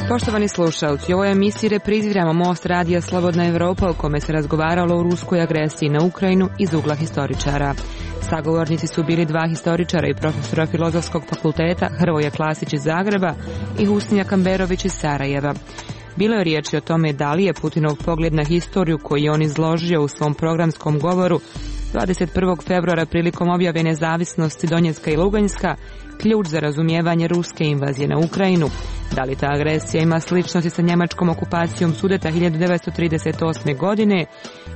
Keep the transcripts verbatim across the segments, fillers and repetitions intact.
Poštovani slušalci, u ovoj emisiji repriziramo Most radija Slobodna Evropa u kome se razgovaralo o ruskoj agresiji na Ukrajinu iz ugla historičara. Sagovornici su bili dva historičara i profesora Filozofskog fakulteta, Hrvoje Klasić iz Zagreba i Husnija Kamberović iz Sarajeva. Bilo je riječi o tome da li je Putinov pogled na historiju koji je on izložio u svom programskom govoru dvadeset prvog februara prilikom objave nezavisnosti Donjecka i Luganjska ključ za razumijevanje ruske invazije na Ukrajinu. Da li ta agresija ima sličnosti sa njemačkom okupacijom Sudeta hiljadu devetsto trideset osme. godine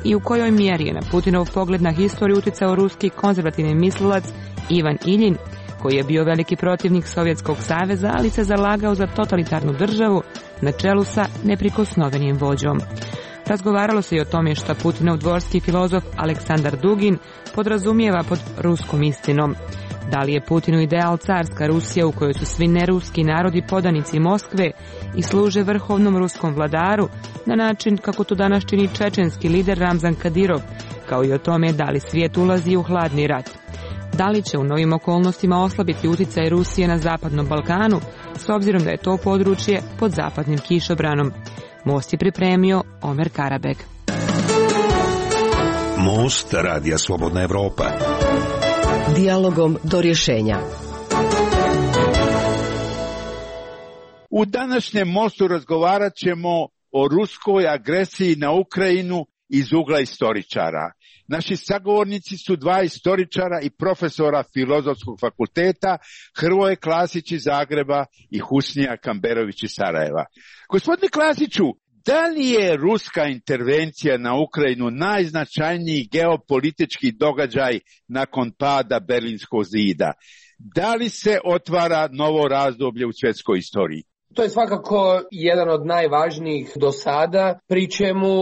i u kojoj mjeri je na Putinov pogled na historiju utjecao ruski konzervativni mislilac Ivan Iljin, koji je bio veliki protivnik Sovjetskog saveza, ali se zalagao za totalitarnu državu na čelu sa neprikosnovenim vođom. Razgovaralo se i o tome što Putinov dvorski filozof Aleksandar Dugin podrazumijeva pod ruskom istinom. Da li je Putinu ideal carska Rusija u kojoj su svi neruski narodi podanici Moskve i služe vrhovnom ruskom vladaru na način kako to danas čini čečenski lider Ramzan Kadirov, kao i o tome da li svijet ulazi u hladni rat. Da li će u novim okolnostima oslabiti utjecaj Rusije na Zapadnom Balkanu, s obzirom da je to područje pod zapadnim kišobranom? Most je pripremio Omer Karabek. Most radija Slobodna Evropa. Dijalogom do rješenja. U današnjem Mostu razgovarat ćemo o ruskoj agresiji na Ukrajinu iz ugla historičara. Naši sagovornici su dva historičara i profesora Filozofskog fakulteta, Hrvoje Klasić iz Zagreba i Husnija Kamberović iz Sarajeva. Gospodine Klasiću, da li je ruska intervencija na Ukrajinu najznačajniji geopolitički događaj nakon pada Berlinskog zida? Da li se otvara novo razdoblje u svjetskoj istoriji? To je svakako jedan od najvažnijih do sada, pri čemu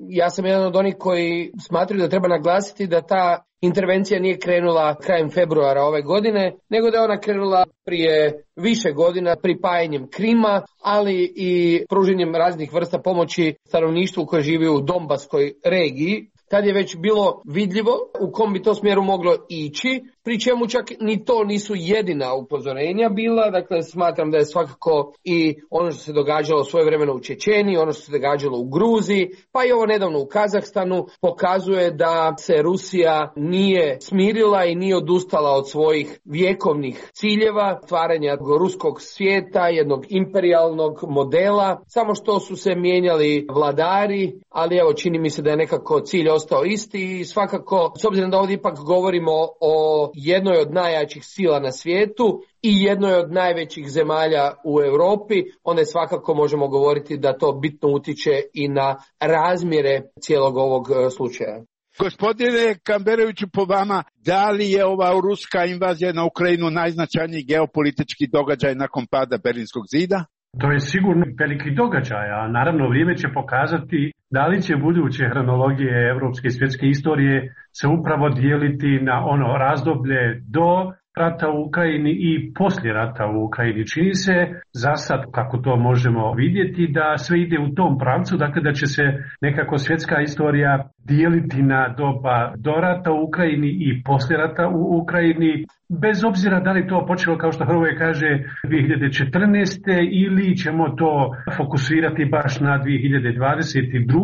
ja sam jedan od onih koji smatraju da treba naglasiti da ta intervencija nije krenula krajem februara ove godine, nego da je ona krenula prije više godina pripajanjem Krima, ali i pruženjem raznih vrsta pomoći stanovništvu koje živi u Donbaskoj regiji. Tad je već bilo vidljivo u kom bi to smjeru moglo ići, pri čemu čak ni to nisu jedina upozorenja bila. Dakle, smatram da je svakako i ono što se događalo svojevremeno u Čečeniji, ono što se događalo u Gruziji, pa i ovo nedavno u Kazahstanu, pokazuje da se Rusija nije smirila i nije odustala od svojih vjekovnih ciljeva, stvaranja ruskog svijeta, jednog imperijalnog modela, samo što su se mijenjali vladari, ali evo čini mi se da je nekako cilj ostao isti i svakako, s obzirom da ovdje ipak govorimo o jednoj od najjačih sila na svijetu i jednoj od najvećih zemalja u Europi, onda je svakako možemo govoriti da to bitno utiče i na razmjere cijelog ovog slučaja. Gospodine Kamberoviću, po vama, da li je ova ruska invazija na Ukrajinu najznačajniji geopolitički događaj nakon pada Berlinskog zida? To je sigurno veliki događaj, a naravno vrijeme će pokazati da li će buduće hronologije evropske i svjetske istorije se upravo dijeliti na ono razdoblje do rata u Ukrajini i poslije rata u Ukrajini. Čini se za sad, kako to možemo vidjeti, da sve ide u tom pravcu, dakle da će se nekako svjetska istorija dijeliti na doba do rata u Ukrajini i poslije rata u Ukrajini, bez obzira da li to počelo, kao što Hrvoje kaže, dvije hiljade četrnaeste. ili ćemo to fokusirati baš na dvije hiljade dvadeset druge.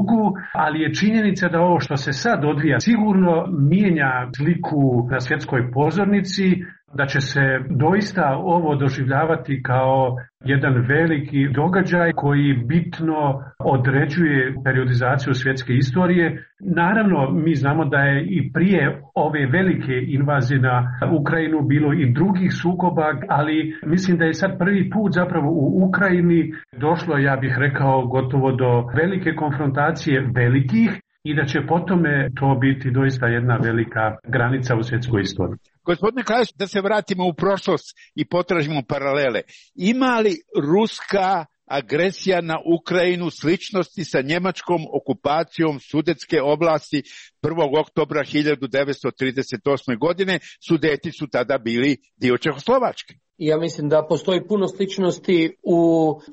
ali je činjenica da ovo što se sad odvija sigurno mijenja sliku na svjetskoj pozornici, da će se doista ovo doživljavati kao jedan veliki događaj koji bitno određuje periodizaciju svjetske istorije. Naravno, mi znamo da je i prije ove velike invazije na Ukrajinu bilo i drugih sukoba, ali mislim da je sad prvi put zapravo u Ukrajini došlo, ja bih rekao, gotovo do velike konfrontacije velikih i da će potome to biti doista jedna velika granica u svjetskoj istoriji. Gospodine Klasić, da se vratimo u prošlost i potražimo paralele. Ima li ruska agresija na Ukrajinu sličnosti sa njemačkom okupacijom Sudetske oblasti prvog oktobra hiljadu devetsto trideset osme. godine? Sudeti su tada bili dio Čehoslovačke. Ja mislim da postoji puno sličnosti u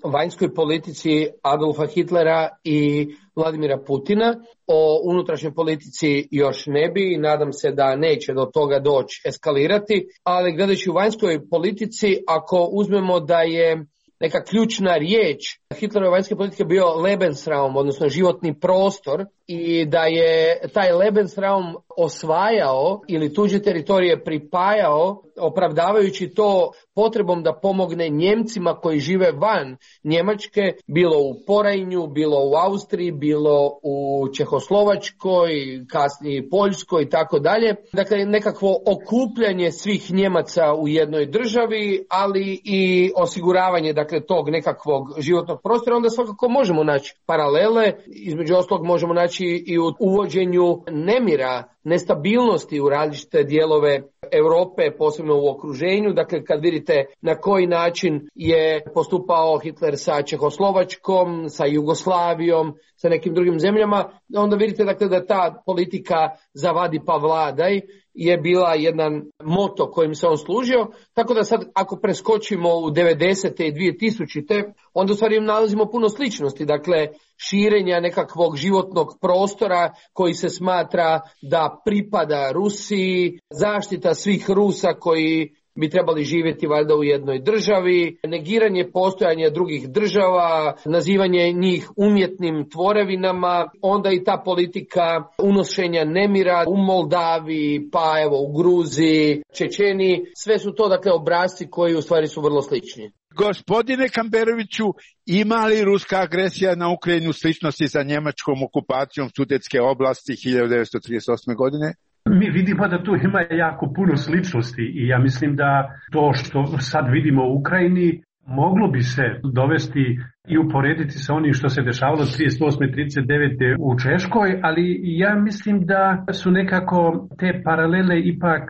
vanjskoj politici Adolfa Hitlera i Vladimira Putina. O unutrašnjoj politici još ne bi i nadam se da neće do toga doći eskalirati, ali gledajući u vanjskoj politici, ako uzmemo da je neka ključna riječ Hitlerove vanjske politike bio Lebensraum, odnosno životni prostor, i da je taj Lebensraum osvajao ili tuđe teritorije pripajao, opravdavajući to potrebom da pomogne Njemcima koji žive van Njemačke, bilo u Porajnju, bilo u Austriji, bilo u Čehoslovačkoj, kasnije Poljskoj i tako dalje. Dakle, nekakvo okupljanje svih Njemaca u jednoj državi, ali i osiguravanje dakle tog nekakvog životnog prostora. Onda svakako možemo naći paralele, između ostalog možemo naći i u uvođenju nemira, nestabilnosti u različite dijelove Europe, posebno u okruženju. Dakle, kad vidite na koji način je postupao Hitler sa Čehoslovačkom, sa Jugoslavijom, sa nekim drugim zemljama, onda vidite dakle da ta politika zavadi pa vladaj je bila jedan moto kojim se on služio. Tako da sad ako preskočimo u devedesete i dvije tisućite, onda u stvari nalazimo puno sličnosti. Dakle, širenja nekakvog životnog prostora koji se smatra da pripada Rusiji, zaštita svih Rusa koji bi trebali živjeti valjda u jednoj državi, negiranje postojanja drugih država, nazivanje njih umjetnim tvorevinama, onda i ta politika unošenja nemira u Moldaviji, pa evo u Gruziji, Čečeniji, sve su to dakle obrasci koji u stvari su vrlo slični. Gospodine Kamberoviću, ima li ruska agresija na Ukrajinu sličnosti sa njemačkom okupacijom Sudetske oblasti hiljadu devetsto trideset osme. godine? Mi vidimo da tu ima jako puno sličnosti i ja mislim da to što sad vidimo u Ukrajini moglo bi se dovesti i uporediti sa onim što se dešavalo trideset osme trideset devete u Češkoj, ali ja mislim da su nekako te paralele ipak,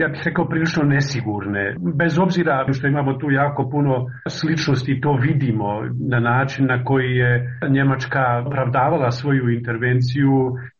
ja bih rekao, prilično nesigurne. Bez obzira što imamo tu jako puno sličnosti, to vidimo na način na koji je Njemačka opravdavala svoju intervenciju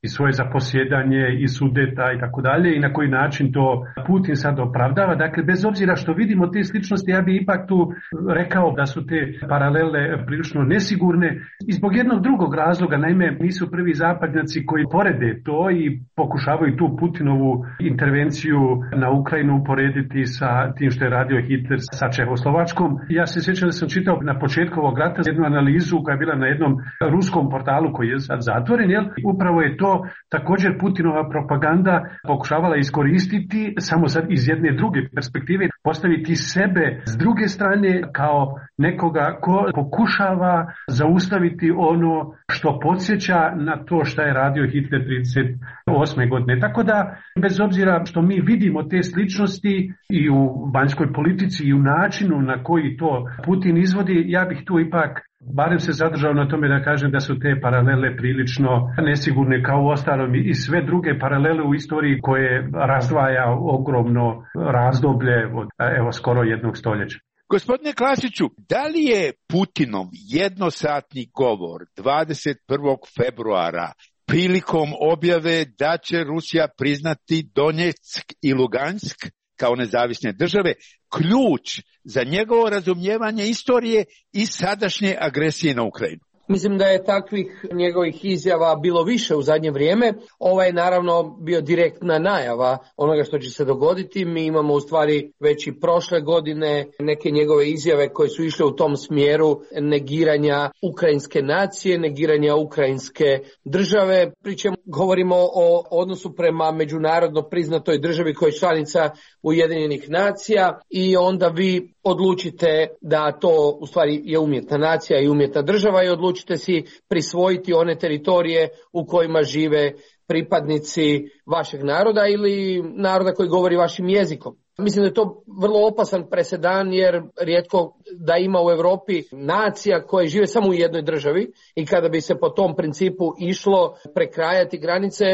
i svoje zaposjedanje i Sudeta i tako dalje i na koji način to Putin sad opravdava. Dakle, bez obzira što vidimo te sličnosti, ja bih ipak tu rekao da su te paralele prilično nesigurne i zbog jednog drugog razloga. Naime, nisu prvi zapadnjaci koji porede to i pokušavaju tu Putinovu intervenciju na Ukrajinu uporediti sa tim što je radio Hitler sa Čehoslovačkom. Ja se sjećam da sam čitao na početku ovog rata jednu analizu koja je bila na jednom ruskom portalu koji je sad zatvoren, jel? Upravo je to također Putinova propaganda pokušavala iskoristiti, samo sad iz jedne druge perspektive, postaviti sebe s druge strane kao nekoga ko pokušava zaustaviti ono što podsjeća na to što je radio Hitler trideset osme. godine. Tako da, bez obzira što mi vidimo te sličnosti i u vanjskoj politici i u načinu na koji to Putin izvodi, ja bih tu ipak barem se zadržao na tome da kažem da su te paralele prilično nesigurne, kao u ostalom i sve druge paralele u istoriji koje razdvaja ogromno razdoblje od evo skoro jednog stoljeća. Gospodine Klasiću, da li je Putinov jednosatni govor dvadeset prvog februara prilikom objave da će Rusija priznati Donjeck i Lugansk kao nezavisne države ključ za njegovo razumijevanje istorije i sadašnje agresije na Ukrajinu? Mislim da je takvih njegovih izjava bilo više u zadnje vrijeme. Ovo je naravno bio direktna najava onoga što će se dogoditi. Mi imamo u stvari već i prošle godine neke njegove izjave koje su išle u tom smjeru negiranja ukrajinske nacije, negiranja ukrajinske države. Pričemu govorimo o odnosu prema međunarodno priznatoj državi koja je članica Ujedinjenih nacija i onda vi odlučite da to u stvari je umjetna nacija i umjetna država i odlučite si prisvojiti one teritorije u kojima žive pripadnici vašeg naroda ili naroda koji govori vašim jezikom. Mislim da je to vrlo opasan presedan jer rijetko da ima u Europi nacija koje žive samo u jednoj državi i kada bi se po tom principu išlo prekrajati granice,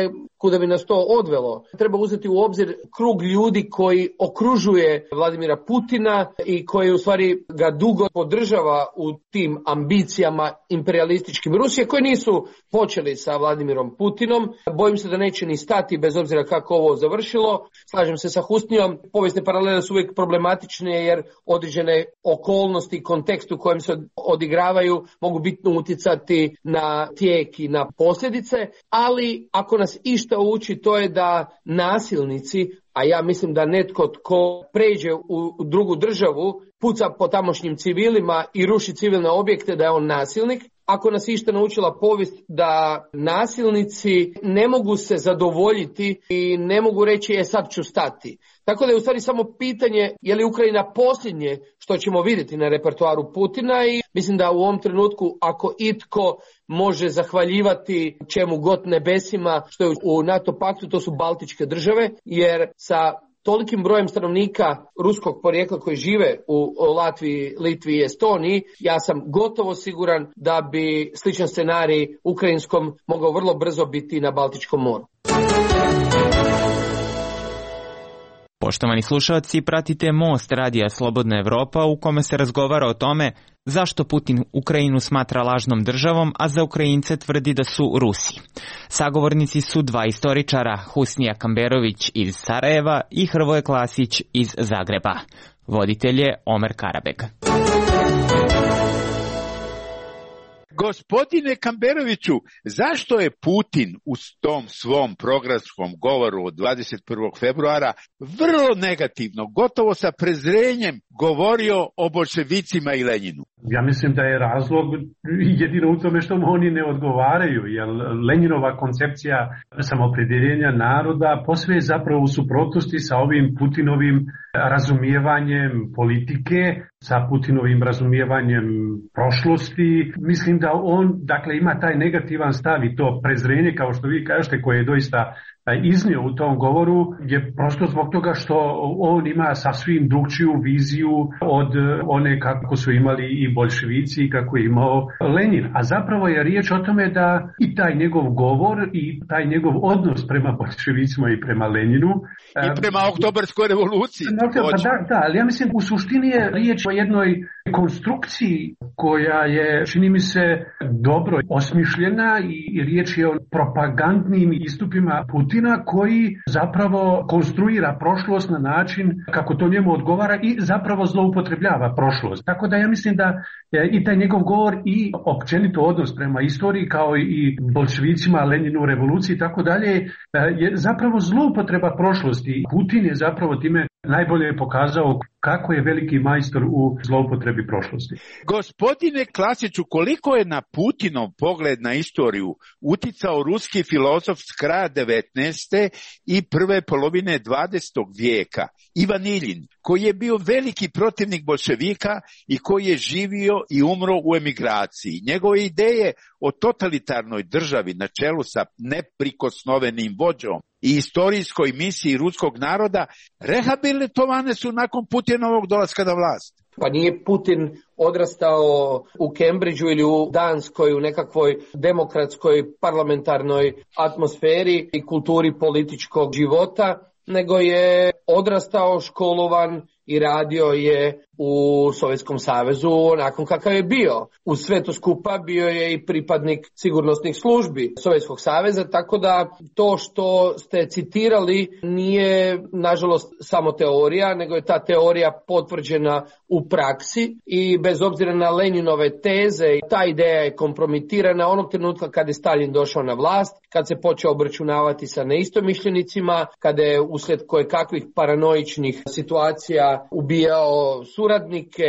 kuda bi nas to odvelo. Treba uzeti u obzir krug ljudi koji okružuje Vladimira Putina i koji u stvari ga dugo podržava u tim ambicijama imperialističkim Rusije, koji nisu počeli sa Vladimirom Putinom. Bojim se da neće ni stati bez obzira kako ovo završilo. Slažem se sa Husnijom, povijesne paralele su uvijek problematične jer određene okolnosti i kontekst u kojem se odigravaju mogu bitno utjecati na tijek i na posljedice, ali ako nas išta uči to je da nasilnici, a ja mislim da netko tko pređe u drugu državu, puca po tamošnjim civilima i ruši civilne objekte, da je on nasilnik. Ako nas išta naučila povijest da nasilnici ne mogu se zadovoljiti i ne mogu reći je sad ću stati. Tako da je u stvari samo pitanje je li Ukrajina posljednje što ćemo vidjeti na repertoaru Putina i mislim da u ovom trenutku ako itko može zahvaljivati čemu god nebesima što je u NATO paktu, to su Baltičke države, jer sa tolikim brojem stanovnika ruskog porijekla koji žive u Latviji, Litvi i Estoniji, ja sam gotovo siguran da bi sličan scenarij ukrajinskom mogao vrlo brzo biti na Baltičkom moru. Poštovani slušalci, pratite Most radija Slobodna Evropa u kome se razgovara o tome zašto Putin Ukrajinu smatra lažnom državom, a za Ukrajince tvrdi da su Rusi. Sagovornici su dva istoričara, Husnija Kamberović iz Sarajeva i Hrvoje Klasić iz Zagreba. Voditelj je Omer Karabeg. Gospodine Kamberoviću, zašto je Putin u tom svom programskom govoru od dvadeset prvog februara vrlo negativno, gotovo sa prezrenjem govorio o boljševicima i Lenjinu? Ja mislim da je razlog jedino u tome što mu oni ne odgovaraju, jer Lenjinova koncepcija samopredjeljenja naroda posve je zapravo u suprotnosti sa ovim Putinovim razumijevanjem politike, sa Putinovim razumijevanjem prošlosti. Mislim da on, dakle, ima taj negativan stav i to prezrenje, kao što vi kažete, koje je doista iznio u tom govoru, je prosto zbog toga što on ima sasvim drugčiju viziju od one kako su imali i boljševici i kako je imao Lenin. A zapravo je riječ o tome da i taj njegov govor i taj njegov odnos prema boljševicima i prema Leninu i prema oktobarskoj revoluciji. Pa da, da, ali ja mislim u suštini je riječ o jednoj konstrukciji koja je, čini mi se, dobro osmišljena i riječ je o propagandnim istupima Putina koji zapravo konstruira prošlost na način kako to njemu odgovara i zapravo zloupotrebljava prošlost. Tako da ja mislim da i taj njegov govor i općenito odnos prema istoriji kao i boljševicima, Leninu, revoluciji i tako dalje je zapravo zloupotreba prošlosti. Putin je zapravo time najbolje pokazao kako je veliki majstor u zloupotrebi prošlosti. Gospodine Klasiću, koliko je na Putinov pogled na istoriju uticao ruski filozof s kraja devetnaeste i prve polovine dvadesetog vijeka, Ivan Iljin, koji je bio veliki protivnik boljševika i koji je živio i umro u emigraciji. Njegove ideje o totalitarnoj državi na čelu sa neprikosnovenim vođom i istorijskoj misiji ruskog naroda rehabilitovane su nakon Putinovog dolaska na vlast. Pa nije Putin odrastao u Cambridgeu ili u Danskoj u nekakvoj demokratskoj parlamentarnoj atmosferi i kulturi političkog života, nego je odrastao, školovan i radio je u Sovjetskom savezu nakon kakav je bio. U sve to skupa bio je i pripadnik sigurnosnih službi Sovjetskog saveza, tako da to što ste citirali nije nažalost samo teorija, nego je ta teorija potvrđena u praksi i bez obzira na Leninove teze, ta ideja je kompromitirana onog trenutka kad je Stalin došao na vlast, kad se počeo obračunavati sa neistomišljenicima, kada je uslijed kojekakvih paranoičnih situacija ubijao suradnike,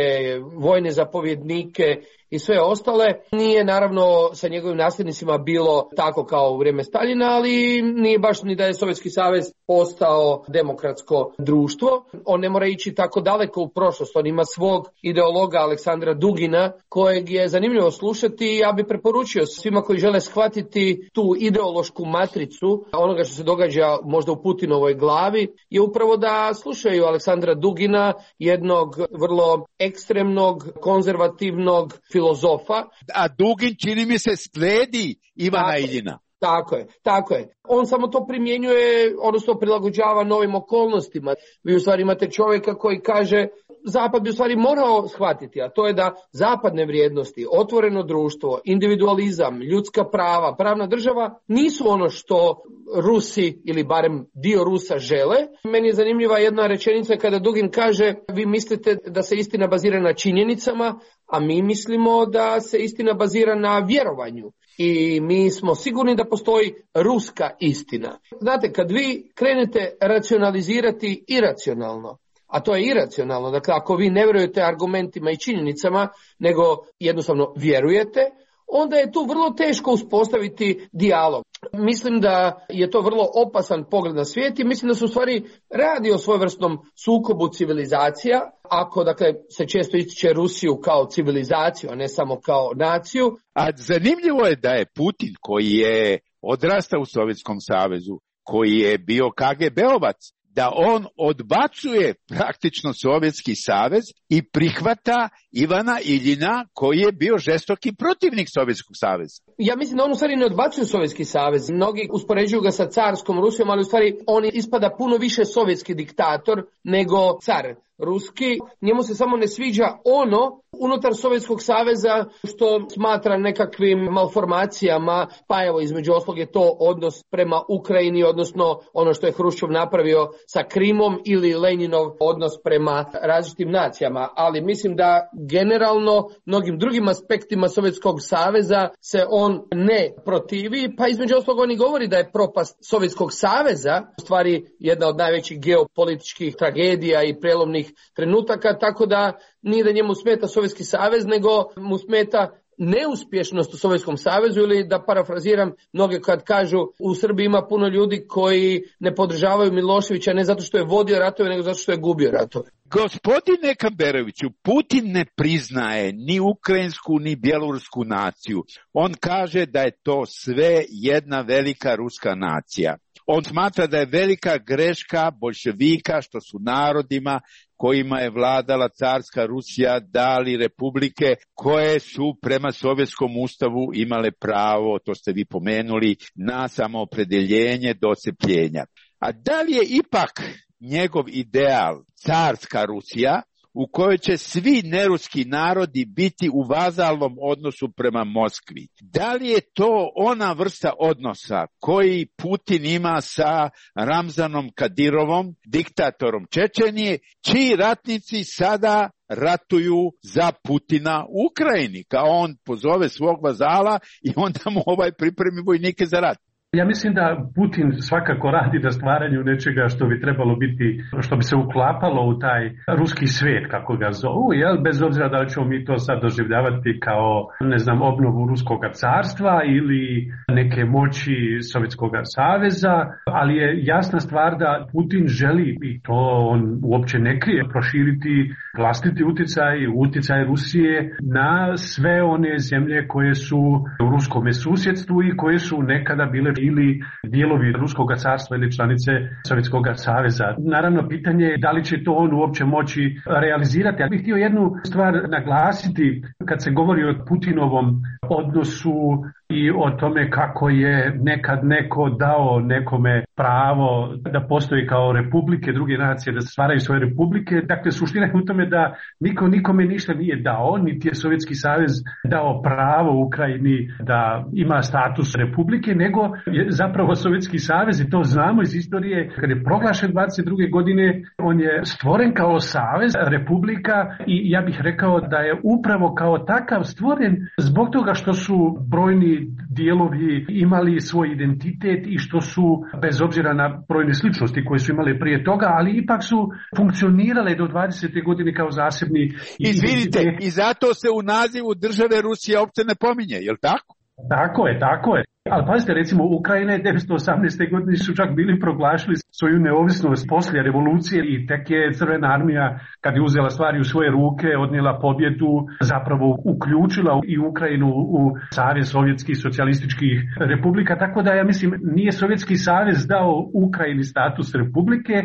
vojne zapovjednike i sve ostale. Nije naravno sa njegovim nasljednicima bilo tako kao u vrijeme Staljina, ali nije baš ni da je Sovjetski savez postao demokratsko društvo. On ne mora ići tako daleko u prošlost. On ima svog ideologa Aleksandra Dugina, kojeg je zanimljivo slušati i ja bih preporučio svima koji žele shvatiti tu ideološku matricu onoga što se događa možda u Putinovoj glavi, je upravo da slušaju Aleksandra Dugina, jednog vrlo ekstremnog, konzervativnog filozofa. A Dugin, čini mi se, slijedi Ivana Iljina. Tako je, tako je. On samo to primjenjuje, odnosno prilagođava novim okolnostima. Vi u stvari imate čovjeka koji kaže, Zapad bi u stvari morao shvatiti, a to je da zapadne vrijednosti, otvoreno društvo, individualizam, ljudska prava, pravna država nisu ono što Rusi ili barem dio Rusa žele. Meni je zanimljiva jedna rečenica kada Dugin kaže, vi mislite da se istina bazira na činjenicama, a mi mislimo da se istina bazira na vjerovanju. I mi smo sigurni da postoji ruska istina. Znate, kad vi krenete racionalizirati iracionalno, a to je iracionalno, dakle ako vi ne vjerujete argumentima i činjenicama, nego jednostavno vjerujete, onda je tu vrlo teško uspostaviti dijalog. Mislim da je to vrlo opasan pogled na svijet i mislim da se u stvari radi o svojevrsnom sukobu civilizacija, ako dakle se često ističe Rusiju kao civilizaciju, a ne samo kao naciju. A zanimljivo je da je Putin, koji je odrastao u Sovjetskom savezu, koji je bio K G B-ovac, da on odbacuje praktično Sovjetski savez i prihvata Ivana Iljina, koji je bio žestoki protivnik Sovjetskog saveza. Ja mislim da on u stvari ne odbacuje Sovjetski savez. Mnogi uspoređuju ga sa carskom Rusijom, ali u stvari on ispada puno više sovjetski diktator nego car ruski. Njemu se samo ne sviđa ono unutar Sovjetskog saveza što smatra nekakvim malformacijama, pa evo između ostalog je to odnos prema Ukrajini, odnosno ono što je Hruščov napravio sa Krimom ili Leninov odnos prema različitim nacijama. Ali mislim da generalno mnogim drugim aspektima Sovjetskog saveza se on ne protivi, pa između ostalog on i govori da je propast Sovjetskog saveza u stvari jedna od najvećih geopolitičkih tragedija i prelomnih trenutaka, tako da nije da njemu smeta Sovjetski savez, nego mu smeta neuspješnost u Sovjetskom savezu, ili da parafraziram mnoge kad kažu u Srbiji ima puno ljudi koji ne podržavaju Miloševića ne zato što je vodio ratove, nego zato što je gubio ratove. Gospodine Kamberoviću, Putin ne priznaje ni ukrajinsku ni bjelorusku naciju. On kaže da je to sve jedna velika ruska nacija. On smatra da je velika greška boljševika što su narodima kojima je vladala carska Rusija dali republike koje su prema Sovjetskom ustavu imale pravo, to ste vi pomenuli, na samoopredeljenje do odcepljenja. A da li je ipak njegov ideal carska Rusija u kojoj će svi neruski narodi biti u vazalnom odnosu prema Moskvi? Da li je to ona vrsta odnosa koji Putin ima sa Ramzanom Kadirovom, diktatorom Čečenije, čiji ratnici sada ratuju za Putina u Ukrajini, kao on pozove svog vazala i onda mu ovaj pripremi vojnike za rat? Ja mislim da Putin svakako radi na stvaranju nečega što bi trebalo biti, što bi se uklapalo u taj ruski svijet, kako ga zovu, jel? Bez obzira da li ćemo mi to sad doživljavati kao, ne znam, obnovu ruskog carstva ili neke moći Sovjetskog saveza, ali je jasna stvar da Putin želi, i to on uopće ne krije, proširiti vlastiti utjecaj, utjecaj Rusije na sve one zemlje koje su u ruskom susjedstvu i koje su nekada bile ili dijelovi Ruskog carstva ili članice Sovjetskog saveza. Naravno, pitanje je da li će to on uopće moći realizirati. Ja bih htio jednu stvar naglasiti kad se govori o Putinovom odnosu i o tome kako je nekad neko dao nekome pravo da postoji kao republike, druge nacije, da stvaraju svoje republike. Dakle, suština je u tome da niko nikome ništa nije dao, niti je Sovjetski savez dao pravo Ukrajini da ima status republike, nego je zapravo Sovjetski savez, i to znamo iz istorije, kad je proglašen dvadeset druge godine, on je stvoren kao savez republika i ja bih rekao da je upravo kao takav stvoren zbog toga što su brojni dijelovi imali svoj identitet i što su, bez obzira na brojne sličnosti koje su imale prije toga, ali ipak su funkcionirale do dvadesete godine kao zasebni. Izvinite, i zato se u nazivu države Rusije uopće ne pominje, je li tako? Tako je, tako je. Ali pazite, recimo Ukrajina je devetsto osamnaeste godine su čak bili proglašili svoju neovisnost poslije revolucije i tek je Crvena armija, kad je uzela stvari u svoje ruke, odnijela pobjedu, zapravo uključila i Ukrajinu u Savez sovjetskih socijalističkih republika, tako da ja mislim nije Sovjetski savez dao Ukrajini status republike,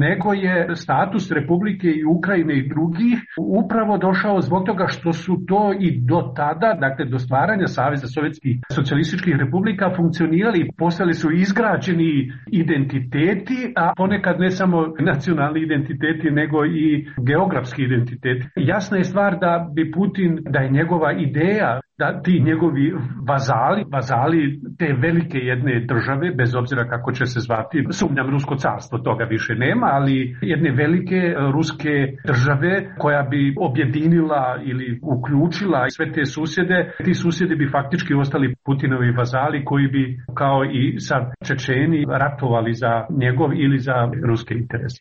nego je status republike i Ukrajine i drugih upravo došao zbog toga što su to i do tada, dakle do stvaranja Saveza sovjetskih socijalističkih republika, velika funkcionirali, postali su izgrađeni identiteti, a ponekad ne samo nacionalni identiteti, nego i geografski identiteti. Jasna je stvar da bi Putin, da je njegova ideja da ti njegovi vazali, vazali te velike jedne države, bez obzira kako će se zvati, sumnjam rusko carstvo, toga više nema, ali jedne velike ruske države koja bi objedinila ili uključila sve te susjede, ti susjedi bi faktički ostali Putinovi vazali koji bi kao i sa Čečeni ratovali za njegov ili za ruske interese.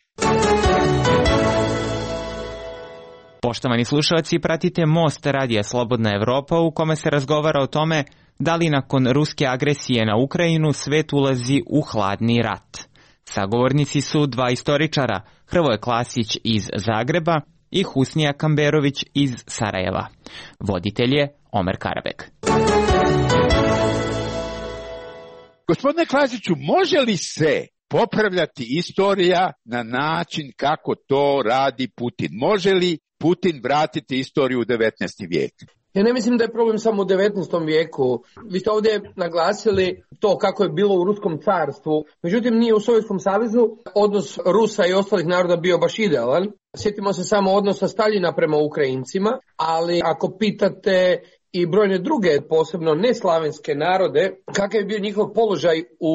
Poštovani slušalci, pratite Most Radija Slobodna Evropa u kome se razgovara o tome da li nakon ruske agresije na Ukrajinu svet ulazi u hladni rat. Sagovornici su dva istoričara, Hrvoje Klasić iz Zagreba i Husnija Kamberović iz Sarajeva. Voditelj je Omer Karabek. Gospodine Klasiću, može li se popravljati istorija na način kako to radi Putin? Može li Putin vratiti istoriju u devetnaesti vijek? Ja ne mislim da je problem samo u devetnaestom vijeku. Vi ste ovdje naglasili to kako je bilo u Ruskom carstvu. Međutim, nije u Sovjetskom savezu odnos Rusa i ostalih naroda bio baš idealan. Sjetimo se samo odnosa Staljina prema Ukrajincima, ali ako pitate i brojne druge, posebno neslavenske narode, kakav je bio njihov položaj u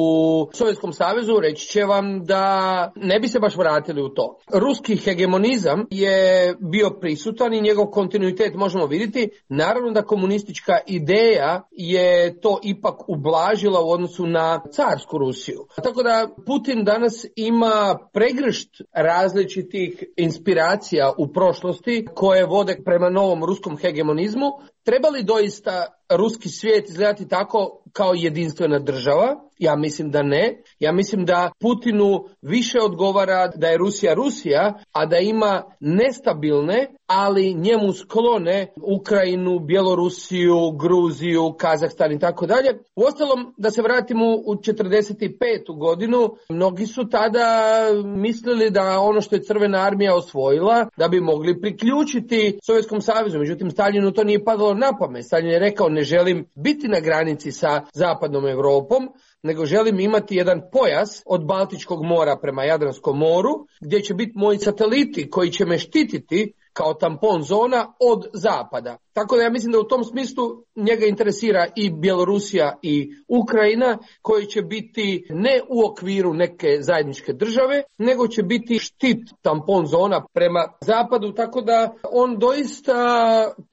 Sovjetskom savezu, reći će vam da ne bi se baš vratili u to. Ruski hegemonizam je bio prisutan i njegov kontinuitet možemo vidjeti. Naravno da komunistička ideja je to ipak ublažila u odnosu na carsku Rusiju. Tako da Putin danas ima pregršt različitih inspiracija u prošlosti koje vode prema novom ruskom hegemonizmu. Treba li doista ruski svijet izgledati tako kao jedinstvena država? Ja mislim da ne. Ja mislim da Putinu više odgovara da je Rusija Rusija, a da ima nestabilne, ali njemu sklone Ukrajinu, Bjelorusiju, Gruziju, Kazahstan i tako dalje. Uostalom, da se vratimo u četrdeset petu godinu, mnogi su tada mislili da ono što je Crvena armija osvojila, da bi mogli priključiti Sovjetskom savezu. Međutim, Staljinu to nije padalo na pamet. Staljin je rekao, ne želim biti na granici sa zapadnom Europom, nego želim imati jedan pojas od Baltičkog mora prema Jadranskom moru, gdje će biti moji sateliti koji će me štititi kao tampon zona od zapada. Tako da ja mislim da u tom smislu njega interesira i Bjelorusija i Ukrajina, koji će biti ne u okviru neke zajedničke države, nego će biti štit tampon zona prema zapadu, tako da on doista,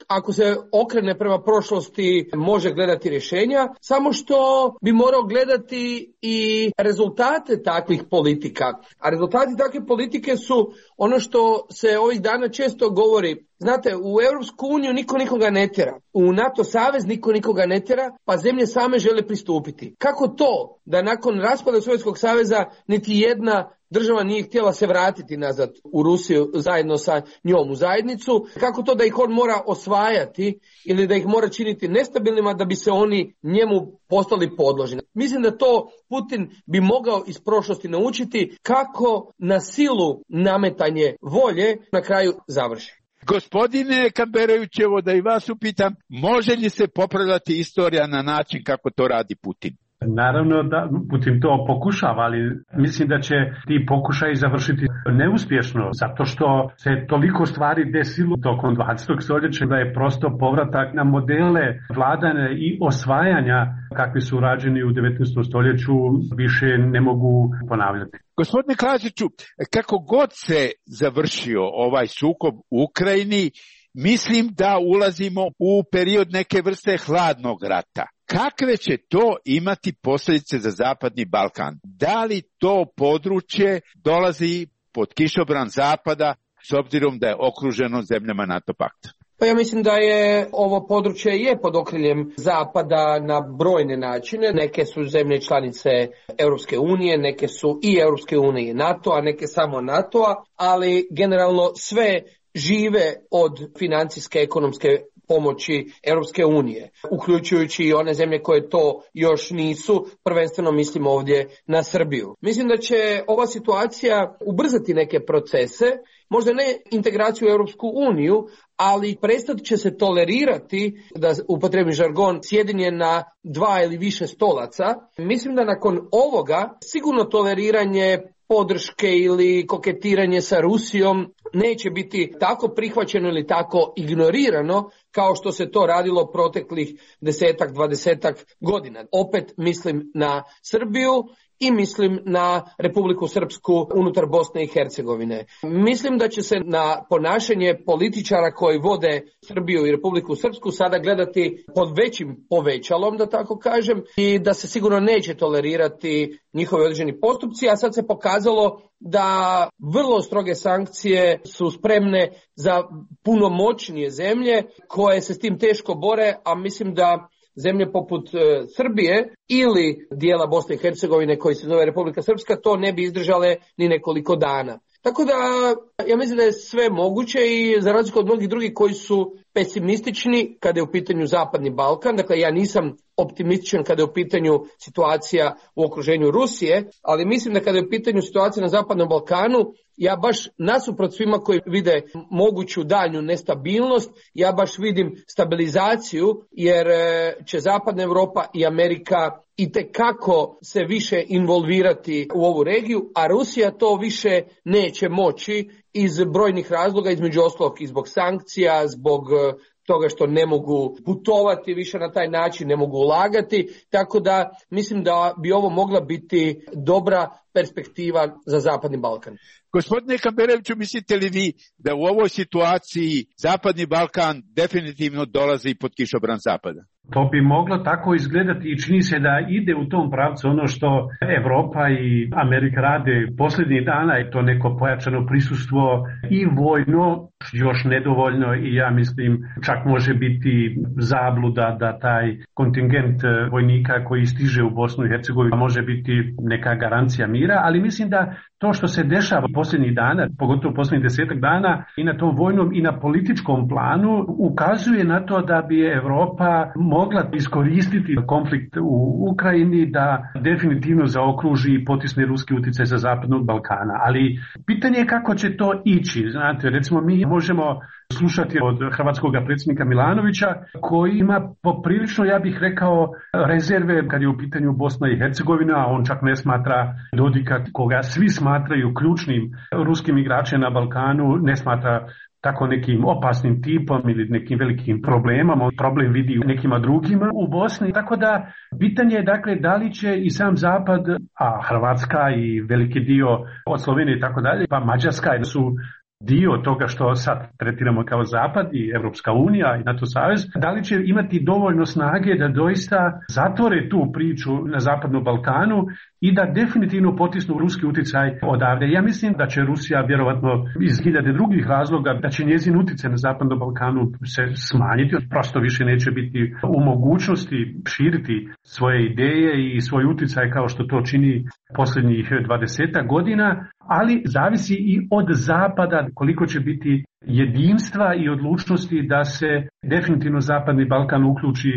ako se okrene prema prošlosti, može gledati rješenja, samo što bi morao gledati i rezultate takvih politika. A rezultati takve politike su ono što se ovih dana često govori. Znate, u Europsku uniju niko nikoga ne tjera, u NATO savez niko nikoga ne tjera, pa zemlje same žele pristupiti. Kako to da nakon raspada Sovjetskog saveza niti jedna država nije htjela se vratiti nazad u Rusiju zajedno sa njom u zajednicu? Kako to da ih on mora osvajati ili da ih mora činiti nestabilnima da bi se oni njemu postali podložni? Mislim da to Putin bi mogao iz prošlosti naučiti kako na silu nametanje volje na kraju završi. Gospodine Kamberović, evo da i vas upitam, može li se popravljati istorija na način kako to radi Putin? Naravno da Putin to pokušava, ali mislim da će ti pokušaji završiti neuspješno, zato što se toliko stvari desilo tokom dvadesetog stoljeća da je prosto povratak na modele vladanja i osvajanja kakvi su rađeni u devetnaestom stoljeću više ne mogu ponavljati. Gospodine Klasiću, kako god se završio ovaj sukob u Ukrajini, mislim da ulazimo u period neke vrste hladnog rata. Kakve će to imati posljedice za Zapadni Balkan? Da li to područje dolazi pod kišobran Zapada s obzirom da je okruženo zemljama NATO pakta? Pa ja mislim da je ovo područje je pod okriljem Zapada na brojne načine. Neke su zemlje članice Europske unije, neke su i Europske unije i NATO, a neke samo NATO-a, ali generalno sve žive od financijske, ekonomske pomoći Europske unije, uključujući i one zemlje koje to još nisu, prvenstveno mislim ovdje na Srbiju. Mislim da će ova situacija ubrzati neke procese, možda ne integraciju u Europsku uniju, ali prestat će se tolerirati, da upotrijebim žargon, sjedenje na dva ili više stolaca. Mislim da nakon ovoga sigurno toleriranje podrške ili koketiranje sa Rusijom neće biti tako prihvaćeno ili tako ignorirano kao što se to radilo proteklih desetak, dvadesetak godina. Opet mislim na Srbiju i mislim na Republiku Srpsku unutar Bosne i Hercegovine. Mislim da će se na ponašanje političara koji vode Srbiju i Republiku Srpsku sada gledati pod većim povećalom, da tako kažem, i da se sigurno neće tolerirati njihovi određeni postupci, a sad se pokazalo da vrlo stroge sankcije su spremne za puno moćnije zemlje koje se s tim teško bore, a mislim da zemlje poput e, Srbije ili dijela Bosne i Hercegovine koji se zove Republika Srpska to ne bi izdržale ni nekoliko dana. Tako da ja mislim da je sve moguće i za razliku od mnogih drugih koji su pesimistični kada je u pitanju Zapadni Balkan, dakle ja nisam optimističan kada je u pitanju situacija u okruženju Rusije, ali mislim da kada je u pitanju situacija na Zapadnom Balkanu, ja baš nasuprot svima koji vide moguću daljnju nestabilnost, ja baš vidim stabilizaciju jer će Zapadna Europa i Amerika itekako se više involvirati u ovu regiju, a Rusija to više neće moći iz brojnih razloga, između ostalog i zbog sankcija, zbog toga što ne mogu putovati više na taj način, ne mogu ulagati, tako da mislim da bi ovo mogla biti dobra perspektiva za Zapadni Balkan. Gospodine Kamberoviću, mislite li vi da u ovoj situaciji Zapadni Balkan definitivno dolazi pod kišobran Zapada? To bi moglo tako izgledati i čini se da ide u tom pravcu ono što Evropa i Amerika rade posljednjih dana, i to neko pojačano prisustvo i vojno, još nedovoljno, i ja mislim čak može biti zabluda da taj kontingent vojnika koji stiže u Bosnu i Hercegovinu može biti neka garancija mira, ali mislim da to što se dešava posljednjih dana, pogotovo posljednjih desetak dana, i na tom vojnom i na političkom planu ukazuje na to da bi Evropa mogla iskoristiti konflikt u Ukrajini da definitivno zaokruži i potisne ruski utjecaj sa Zapadnog Balkana. Ali pitanje je kako će to ići. Znate, recimo mi možemo slušati od hrvatskog predsjednika Milanovića koji ima poprilično, ja bih rekao, rezerve kad je u pitanju Bosna i Hercegovina, a on čak ne smatra Dodika, koga svi smatraju ključnim ruskim igračem na Balkanu, ne smatra tako nekim opasnim tipom ili nekim velikim problemom, on problem vidi u nekima drugima u Bosni. Tako da pitanje je dakle da li će i sam Zapad, a Hrvatska i veliki dio od Slovenije i tako dalje, pa Mađarska su dio toga što sad tretiramo kao Zapad i Evropska unija i NATO savez, da li će imati dovoljno snage da doista zatvore tu priču na Zapadnom Balkanu i da definitivno potisnu ruski utjecaj odavde. Ja mislim da će Rusija vjerovatno iz hiljade drugih razloga, da će njezin utjecaj na Zapadnom Balkanu se smanjiti, prosto više neće biti u mogućnosti širiti svoje ideje i svoj utjecaj kao što to čini posljednjih dvadesetak godina, ali zavisi i od Zapada koliko će biti jedinstva i odlučnosti da se definitivno Zapadni Balkan uključi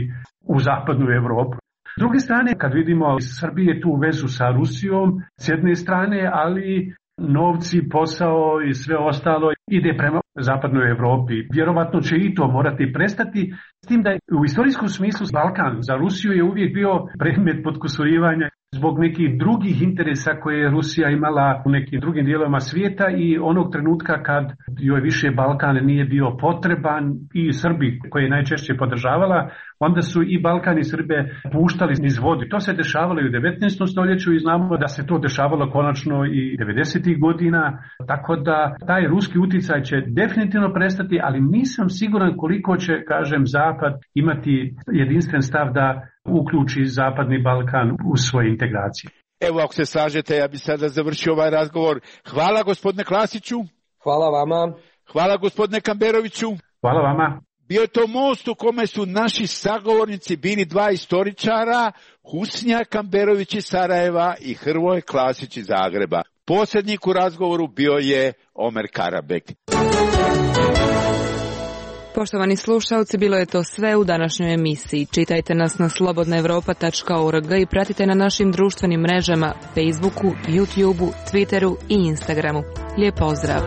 u Zapadnu Europu. S druge strane, kad vidimo iz Srbije tu vezu sa Rusijom, s jedne strane, ali novci, posao i sve ostalo ide prema Zapadnoj Europi. Vjerovatno će i to morati prestati, s tim da u istorijskom smislu Balkan za Rusiju je uvijek bio predmet potkusurivanja zbog nekih drugih interesa koje je Rusija imala u nekim drugim dijelovima svijeta i onog trenutka kad joj više Balkan nije bio potreban i Srbi koje je najčešće podržavala, onda su i Balkan i Srbe puštali niz vodu. To se dešavalo i u devetnaestom stoljeću i znamo da se to dešavalo konačno i devedesetih godina, tako da taj ruski utjecaj će definitivno prestati, ali nisam siguran koliko će, kažem, Zapad imati jedinstven stav da uključi Zapadni Balkan u svoje integracije. Evo, ako se slažete, ja bih sada završio ovaj razgovor. Hvala gospodine Klasiću. Hvala vama. Hvala gospodine Kamberoviću. Hvala vama. Bio je to most u kome su naši sagovornici bili dva istoričara, Husnija Kamberović iz Sarajeva i Hrvoje Klasić iz Zagreba. Posrednik u razgovoru bio je Omer Karabek. Poštovani slušalci, bilo je to sve u današnjoj emisiji. Čitajte nas na slobodna europa tačka org i pratite na našim društvenim mrežama Facebooku, YouTubeu, Twitteru i Instagramu. Lijep pozdrav!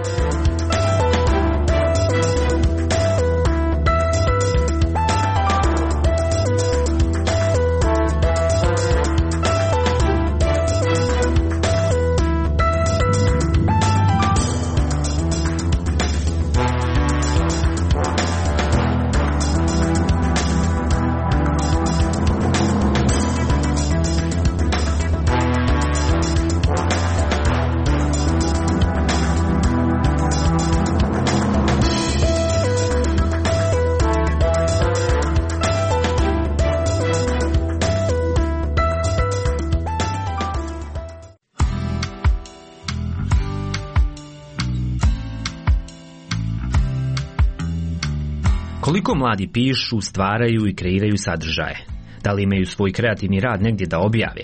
Koliko mladi pišu, stvaraju i kreiraju sadržaje? Da li imaju svoj kreativni rad negdje da objave?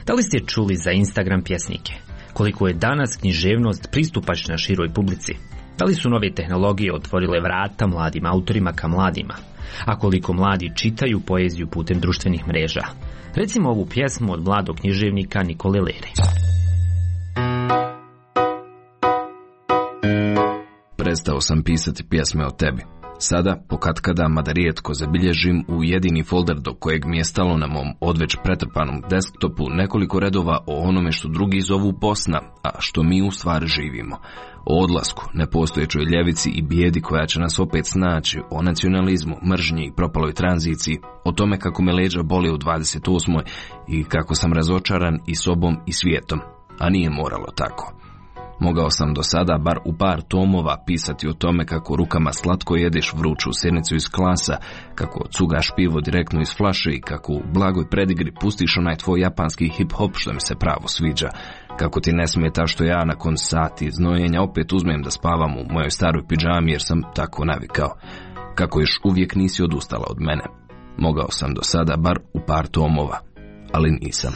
Da li ste čuli za Instagram pjesnike? Koliko je danas književnost pristupačna široj publici? Da li su nove tehnologije otvorile vrata mladim autorima ka mladima? A koliko mladi čitaju poeziju putem društvenih mreža? Recimo ovu pjesmu od mladog književnika Nikole Lere. Prestao sam pisati pjesme o tebi. Sada, pokatkada, mada rijetko, zabilježim u jedini folder do kojeg mi je stalo na mom odveć pretrpanom desktopu nekoliko redova o onome što drugi zovu Bosna, a što mi u stvari živimo. O odlasku, nepostojećoj ljevici i bijedi koja će nas opet snaći, o nacionalizmu, mržnji i propaloj tranziciji, o tome kako me leđa boli u dvadeset osmoj i kako sam razočaran i sobom i svijetom, a nije moralo tako. Mogao sam do sada, bar u par tomova, pisati o tome kako rukama slatko jedeš vruću sirnicu iz klasa, kako cugaš pivo direktno iz flaše i kako u blagoj predigri pustiš onaj tvoj japanski hip-hop što mi se pravo sviđa, kako ti ne smeta što ja nakon sati znojenja opet uzmem da spavam u mojoj staroj pidžami jer sam tako navikao, kako još uvijek nisi odustala od mene. Mogao sam do sada, bar u par tomova, ali nisam.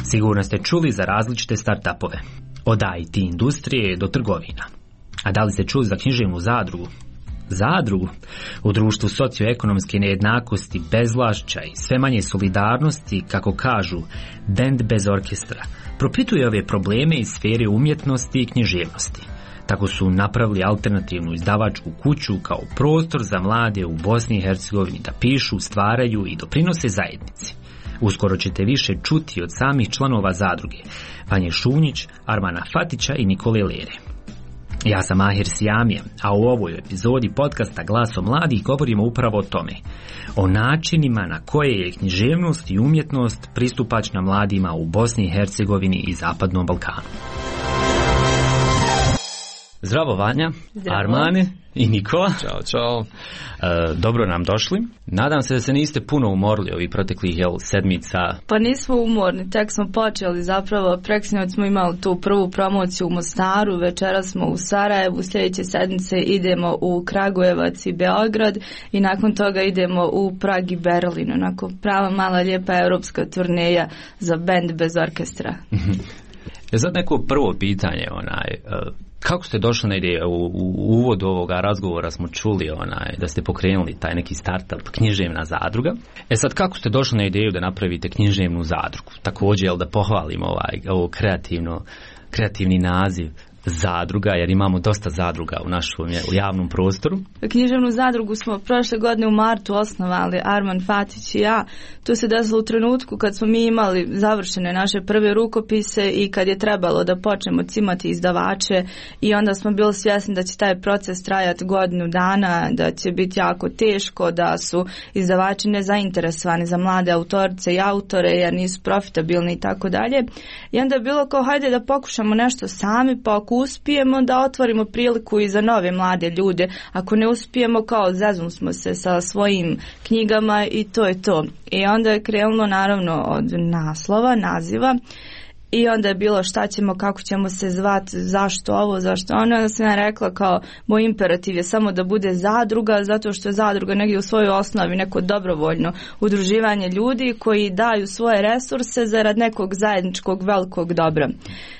Sigurno ste čuli za različite startupove, od I T industrije do trgovina. A da li ste čuli za književnu zadrugu? Zadrugu? U društvu socioekonomske nejednakosti, bezvlašća i sve manje solidarnosti, kako kažu, bend bez orkestra, propituje ove probleme iz sfere umjetnosti i književnosti. Tako su napravili alternativnu izdavačku kuću kao prostor za mlade u Bosni i Hercegovini da pišu, stvaraju i doprinose zajednici. Uskoro ćete više čuti od samih članova zadruge, Vanje Šunjić, Armana Fatića i Nikole Lere. Ja sam Mahir Sijamija, a u ovoj epizodi podcasta Glaso mladih govorimo upravo o tome, o načinima na koje je književnost i umjetnost pristupačna mladima u Bosni i Hercegovini i Zapadnom Balkanu. Zdravo Vanja, Zdravo. Armane i Nikola. Ćao, čao. E, dobro nam došli. Nadam se da se niste puno umorili ovih proteklih jel, sedmica. Pa nismo umorni, tek smo počeli zapravo. Preksinoć smo imali tu prvu promociju u Mostaru, večeras smo u Sarajevu, sljedeće sedmice idemo u Kragujevac i Beograd i nakon toga idemo u Prag i Berlin. Onako prava mala lijepa europska turneja za bend bez orkestra. Je sad neko prvo pitanje, onaj... Kako ste došli na ideju? U, u uvodu ovoga razgovora smo čuli onaj, da ste pokrenuli taj neki startup književna zadruga. E sad, kako ste došli na ideju da napravite književnu zadrugu? Također, jel da pohvalim ovaj, ovo kreativno, kreativni naziv zadruga, jer imamo dosta zadruga u našem u javnom prostoru. Književnu zadrugu smo prošle godine u martu osnovali, Arman Fatić i ja. To se desilo u trenutku kad smo mi imali završene naše prve rukopise i kad je trebalo da počnemo cimati izdavače i onda smo bili svjesni da će taj proces trajati godinu dana, da će biti jako teško, da su izdavači nezainteresovani za mlade autorice i autore jer nisu profitabilni i tako dalje. I onda je bilo kao hajde da pokušamo nešto sami, pa ako uspijemo da otvorimo priliku i za nove mlade ljude, ako ne uspijemo kao zeznu smo se sa svojim knjigama i to je to. I onda je krenulo naravno od naslova, naziva i onda je bilo šta ćemo, kako ćemo se zvati, zašto ovo, zašto ono. Onda sam ja rekla kao moj imperativ je samo da bude zadruga, zato što je zadruga negdje u svojoj osnovi neko dobrovoljno udruživanje ljudi koji daju svoje resurse zarad nekog zajedničkog velikog dobra.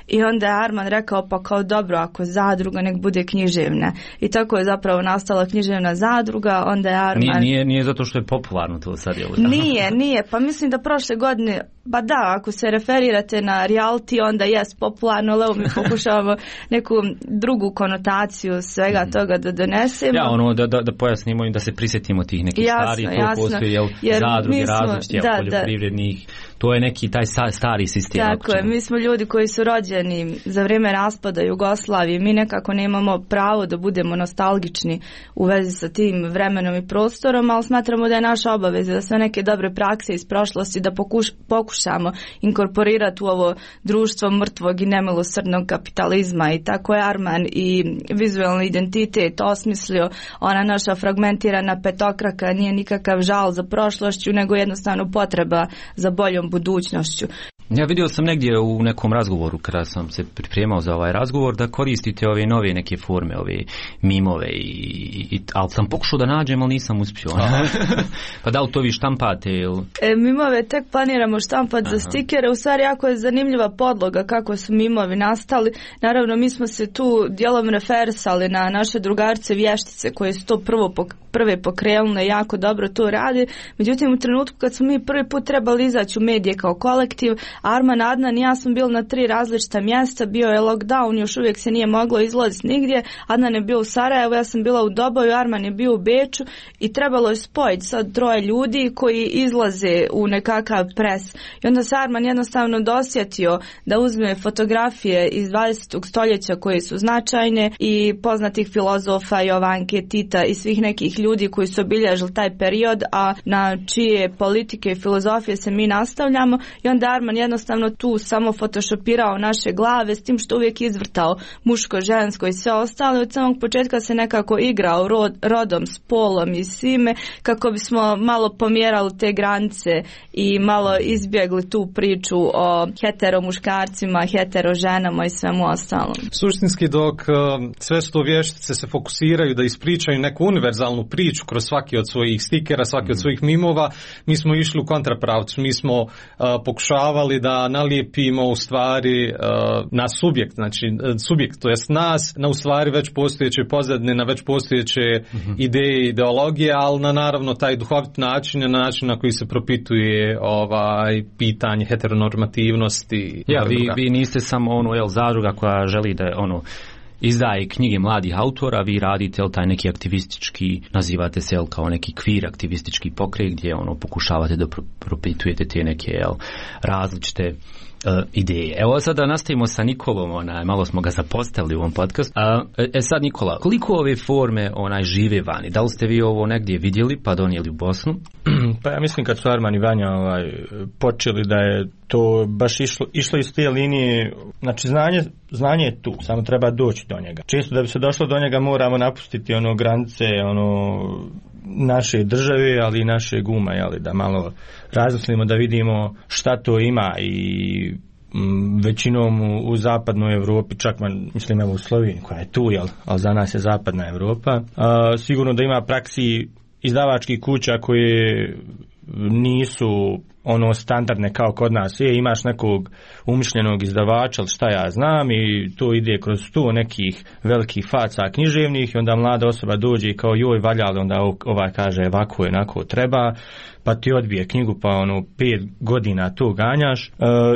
I onda je Arman rekao pa kao dobro, ako zadruga nek bude književna. I tako je zapravo nastala književna zadruga. Onda je Arman... Nije, nije, nije zato što je popularno to sad, je li? Nije, nije. Pa mislim da prošle godine, ba da, ako se referirate na reality, onda jest popularno, ali evo mi pokušavamo neku drugu konotaciju svega toga da donesemo. Ja, ono, da, da, da pojasnimo i da se prisjetimo tih nekih jasno, starih, to jasno. postoji, jel, jer zadruge, smo, različite, da, poljoprivrednih, to je neki taj stari sistem. Tako je, mi smo ljudi koji su rođeni za vrijeme raspada Jugoslavije, mi nekako nemamo pravo da budemo nostalgični u vezi sa tim vremenom i prostorom, ali smatramo da je naša obaveza da sve neke dobre prakse iz prošlosti da pokuš, pokušamo inkorporirati u ovo društvo mrtvog i nemilosrdnog kapitalizma. I tako je Arman i vizualni identitet osmislio. Ona naša fragmentirana petokraka nije nikakav žal za prošlošću, nego jednostavno potreba za boljom budućnošću. Ja vidio sam negdje u nekom razgovoru kada sam se pripremao za ovaj razgovor da koristite ove nove neke forme, ove mimove i, i ali sam pokušao da nađem, ali nisam uspio. Pa da li to vi štampate ili? E, mimove tek planiramo štampati za stikere. U stvari jako je zanimljiva podloga kako su mimovi nastali. Naravno mi smo se tu dijelom referisali na naše drugarce vještice koje su to prvo pok- prve pokrenule, jako dobro to radi. Međutim u trenutku kad smo mi prvi put trebali izaći u medije kao kolektiv, Arman, Adnan i ja sam bil na tri različita mjesta, bio je lockdown, još uvijek se nije moglo izlaziti nigdje. Adnan je bio u Sarajevu, ja sam bila u Doboju, Arman je bio u Beču i trebalo je spojiti sad troje ljudi koji izlaze u nekakav pres. I onda se Arman jednostavno dosjetio da uzme fotografije iz dvadesetog stoljeća koje su značajne i poznatih filozofa Jovanke, Tita i svih nekih ljudi koji su obilježili taj period, a na čije politike i filozofije se mi nastavljamo. I onda Arman jednostavno tu samo photoshopirao naše glave s tim što uvijek izvrtao muško, žensko i sve ostalo. Od samog početka se nekako igrao rod, rodom, spolom i svime kako bismo malo pomjerali te granice i malo izbjegli tu priču o hetero muškarcima, hetero ženama i svemu ostalom. Suštinski dok sve sto vještice se fokusiraju da ispričaju neku univerzalnu priču kroz svaki od svojih stikera, svaki od svojih mimova, mi smo išli u kontrapravcu, mi smo uh, pokušavali da nalijepimo u stvari uh, na subjekt, znači subjekt, to jest nas, na u stvari već postojeće pozadine, na već postojeće uh-huh. ideje i ideologije, ali na naravno taj duhovit način, na način na koji se propituje ovaj pitanje heteronormativnosti. Ja, vi, vi niste samo ono, jel, zadruga koja želi da je ono izdaje knjige mladih autora, vi radite jel, taj neki aktivistički, nazivate se jel, kao neki kvir aktivistički pokret gdje ono pokušavate da propitujete te neke jel, različite uh, ideje. Evo sada nastavimo sa Nikolom, onaj, malo smo ga zapostavili u ovom podcastu. Uh, e sad Nikola, koliko ove forme onaj žive vani? Da li ste vi ovo negdje vidjeli pa donijeli u Bosnu? Pa ja mislim kad su Arman i Vanja ovaj, počeli da je to baš išlo, išlo iz te linije, znači znanje, znanje je tu, samo treba doći do njega. Često da bi se došlo do njega moramo napustiti ono granice ono naše države, ali i naše guma, jeli, da malo razmislimo da vidimo šta to ima i m, većinom u, u zapadnoj Europi, čak man, mislim evo u Sloveniji koja je tu, jel, ali za nas je zapadna Europa. A, sigurno da ima praksi izdavačkih kuća koje nisu ono standardne kao kod nas. Je, imaš nekog umišljenog izdavača, ali šta ja znam, i to ide kroz sto nekih velikih faca književnih i onda mlada osoba dođe i kao joj valjali, onda ovaj kaže ovako je, onako treba, pa ti odbije knjigu pa ono pet godina to ganjaš e,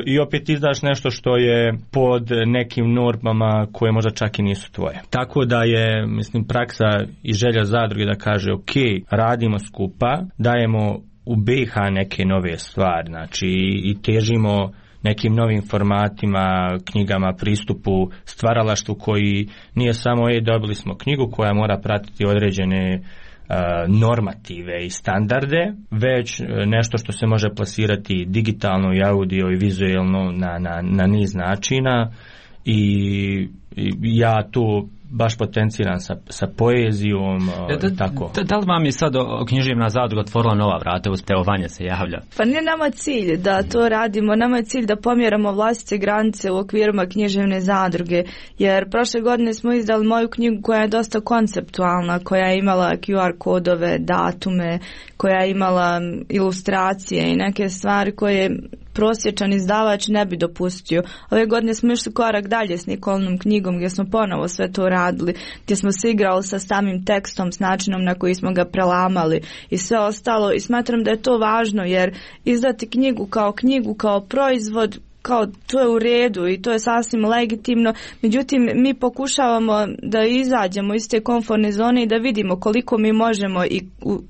i opet izdaš nešto što je pod nekim normama koje možda čak i nisu tvoje. Tako da je, mislim, praksa i želja zadruge da kaže ok, radimo skupa, dajemo u B i H neke nove stvari, znači i težimo nekim novim formatima, knjigama, pristupu, stvaralaštvu koji nije samo e, dobili smo knjigu koja mora pratiti određene uh, normative i standarde, već nešto što se može plasirati digitalno i audio i vizuelno na, na, na niz načina i, i ja to baš potenciran sa, sa poezijom, da, tako. Da, da li vam je sad književna zadruga otvorila nova vrata, evo Vanja se javlja? Pa nije nama cilj da to radimo, nama je cilj da pomjeramo vlastite granice u okvirima književne zadruge, jer prošle godine smo izdali moju knjigu koja je dosta konceptualna, koja je imala Q R kodove, datume, koja je imala ilustracije i neke stvari koje prosječan izdavač ne bi dopustio. Ove godine smo išli korak dalje s Nikolnom knjigom gdje smo ponovo sve to radili, gdje smo se igrali sa samim tekstom, s načinom na koji smo ga prelamali i sve ostalo, i smatram da je to važno, jer izdati knjigu kao knjigu, kao proizvod, kao to je u redu i to je sasvim legitimno, međutim mi pokušavamo da izađemo iz te komfortne zone i da vidimo koliko mi možemo i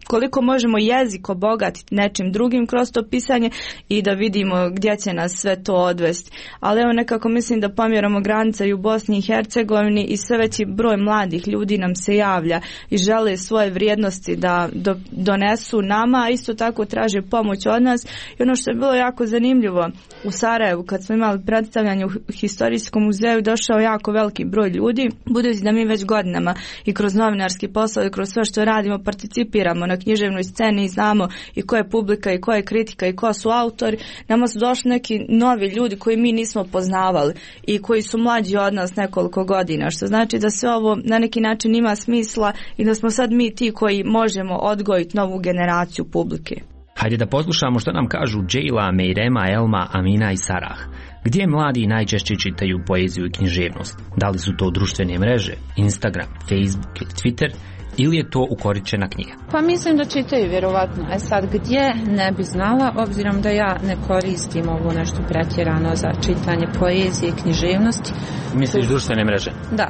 koliko možemo jezik obogatiti nečim drugim kroz to pisanje i da vidimo gdje će nas sve to odvesti. Ali evo nekako mislim da pomjeramo granice i u Bosni i Hercegovini i sve veći broj mladih ljudi nam se javlja i žele svoje vrijednosti da do, donesu nama, a isto tako traže pomoć od nas. I ono što je bilo jako zanimljivo, u Sarajevu kad smo imali predstavljanje u historijskom muzeju, došao jako veliki broj ljudi, budući da mi već godinama i kroz novinarski posao i kroz sve što radimo participiramo na književnoj sceni i znamo i ko je publika i ko je kritika i ko su autori, nama su došli neki novi ljudi koji mi nismo poznavali i koji su mlađi od nas nekoliko godina, što znači da sve ovo na neki način ima smisla i da smo sad mi ti koji možemo odgojiti novu generaciju publike. Hajde da poslušamo što nam kažu Džejla, Mejrema, Elma, Amina i Sarah. Gdje mladi najčešće čitaju poeziju i književnost? Da li su to društvene mreže, Instagram, Facebook ili Twitter, ili je to ukoričena knjiga? Pa mislim da čitaju vjerovatno. E sad gdje ne bi znala, obzirom da ja ne koristim ovo nešto pretjerano za čitanje poezije i književnosti. Misliš društvene mreže? Da.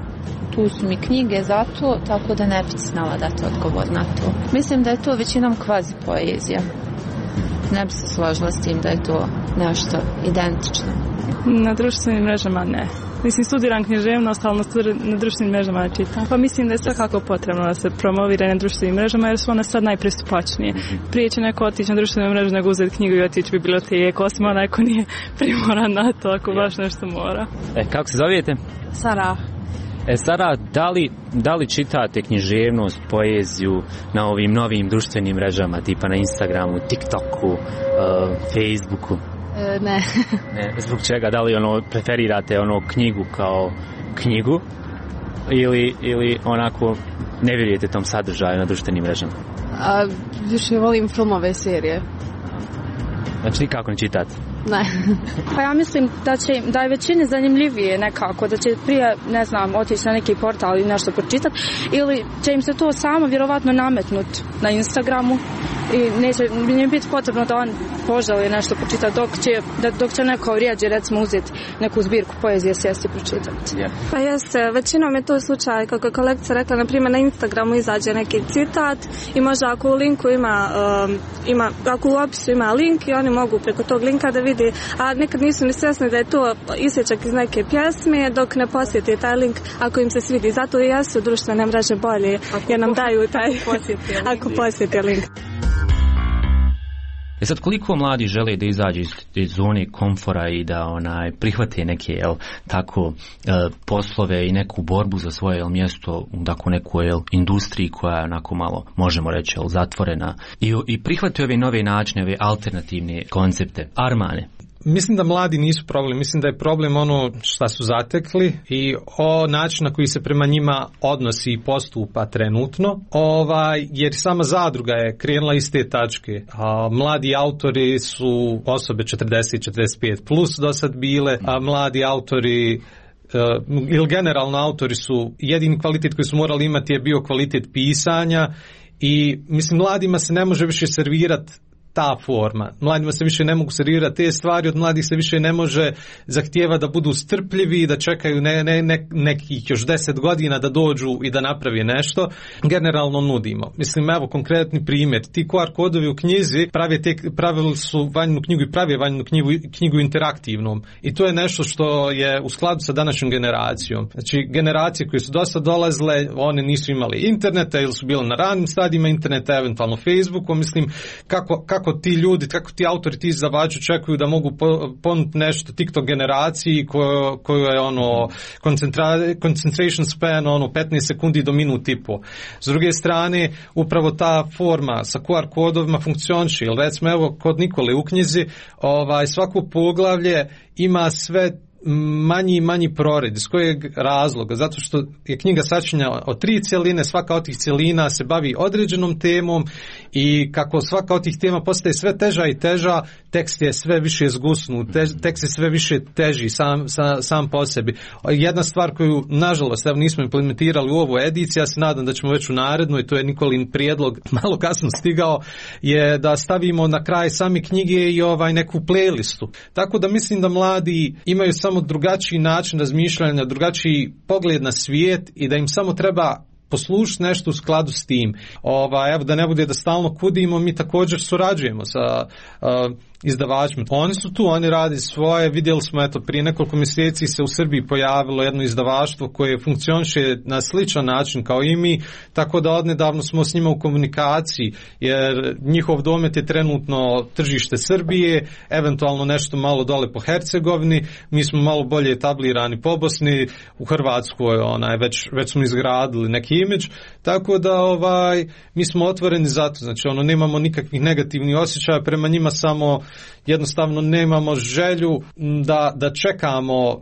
Tu su mi knjige za to, tako da ne bi znala dati odgovor na to. Mislim da je to većinom kvazi poezija. Ne bi se složila s tim da je to nešto identično. Na društvenim mrežama ne. Mislim, studiram književnost, ali na društvenim mrežama ne čitam. Pa mislim da je svakako potrebno da se promovira na društvenim mrežama, jer su one sad najpristupačnije. Prije će neko otići na društvene mreže nego uzeti knjigu i otići u biblioteku, osim onaj ko nije primoran na to, ako baš nešto mora. E, kako se zovete? Sarah. E, Sara, da li, da li čitate književnost, poeziju na ovim novim društvenim mrežama, tipa na Instagramu, TikToku, uh, Facebooku? E, ne. ne. Zbog čega? Da li ono, preferirate ono knjigu kao knjigu ili, ili onako ne vjerujete tom sadržaju na društvenim mrežama? A, više volim filmove, serije. Znači nikako ne čitate? Ne. Pa ja mislim da će da je većini zanimljivije nekako, da će prije, ne znam, otići na neki portal i nešto pročitati, ili će im se to samo vjerovatno nametnuti na Instagramu i neće im biti potrebno da on poželi nešto pročitati, dok će, da, dok će neko rijeđe recimo uzeti neku zbirku poezije, sjesti i pročitati. Yeah. Pa jeste, većinom je to slučaj, kako je kolegica rekla, na primjer na Instagramu izađe neki citat i možda ako u linku ima, um, ima ako u opisu ima link i oni mogu preko tog linka da vidi, a nekad nisu ni svjesni da je to isječak iz neke pjesme dok ne posjeti taj link ako im se svidi. Zato i jesu društvene mreže bolje ako jer nam daju taj posjeti ako posjeti link. E sad, koliko mladi žele da izađu iz, iz zone komfora i da onaj prihvate neke jel, tako e, poslove i neku borbu za svoje jel, mjesto u tako nekoj jel, industriji koja je onako malo, možemo reći, jel, zatvorena i, i prihvate ove nove načine, ove alternativne koncepte. Armane? Mislim da mladi nisu problem, mislim da je problem ono šta su zatekli i o način na koji se prema njima odnosi i postupa trenutno, ovaj, jer sama zadruga je krenula iz te tačke. A, mladi autori su osobe četrdeset četrdeset pet plus do sad bile, a mladi autori Uh, ili generalno autori su, jedini kvalitet koji su morali imati je bio kvalitet pisanja i mislim mladima se ne može više servirati ta forma. Mladima se više ne mogu servirati te stvari, od mladih se više ne može zahtijeva da budu strpljivi, da čekaju ne, ne, ne, nekih još deset godina da dođu i da napravi nešto. Generalno nudimo. Mislim, evo konkretni primjer. Ti Q R kodovi u knjizi prave te, pravili su vanjnu knjigu i prave vanjnu knjigu, knjigu interaktivnom. I to je nešto što je u skladu sa današnjom generacijom. Znači, generacije koje su dosta dolazile, one nisu imali interneta ili su bile na ranim stadijima interneta, eventualno Facebooku. Mislim, kako, kako kako ti ljudi, kako ti autori, ti izdavači očekuju da mogu ponuditi nešto TikTok generaciji koju, koju je ono concentration span ono petnaest sekundi do minut i po. S druge strane, upravo ta forma sa Q R kodovima funkcioniše, jer recimo evo kod Nikole u knjizi ovaj, svako poglavlje ima sve manji i manji prored. Iz kojeg razloga? Zato što je knjiga sačinjena od tri cjeline, svaka od tih cjelina se bavi određenom temom i kako svaka od tih tema postaje sve teža i teža, tekst je sve više zgusnut, te, tekst je sve više teži sam, sam, sam po sebi. Jedna stvar koju, nažalost, evo nismo implementirali u ovu ediciju, ja se nadam da ćemo već u narednoj, to je Nikolin prijedlog, malo kasno stigao, je da stavimo na kraj same knjige i ovaj neku playlistu. Tako da mislim da mladi imaju samo drugačiji način razmišljanja, drugačiji pogled na svijet i da im samo treba poslušati nešto u skladu s tim. Ova, evo da ne bude da stalno kudimo, mi također surađujemo sa uh, izdavačima. Oni su tu, oni radi svoje, vidjeli smo eto prije nekoliko mjeseci se u Srbiji pojavilo jedno izdavaštvo koje funkcioniše na sličan način kao i mi, tako da odnedavno smo s njima u komunikaciji, jer njihov domet je trenutno tržište Srbije, eventualno nešto malo dole po Hercegovini, mi smo malo bolje etablirani po Bosni, u Hrvatskoj onaj, već, već smo izgradili neki imidž, tako da ovaj, mi smo otvoreni za to, znači ono, nemamo nikakvih negativnih osjećaja prema njima, samo jednostavno nemamo želju da, da čekamo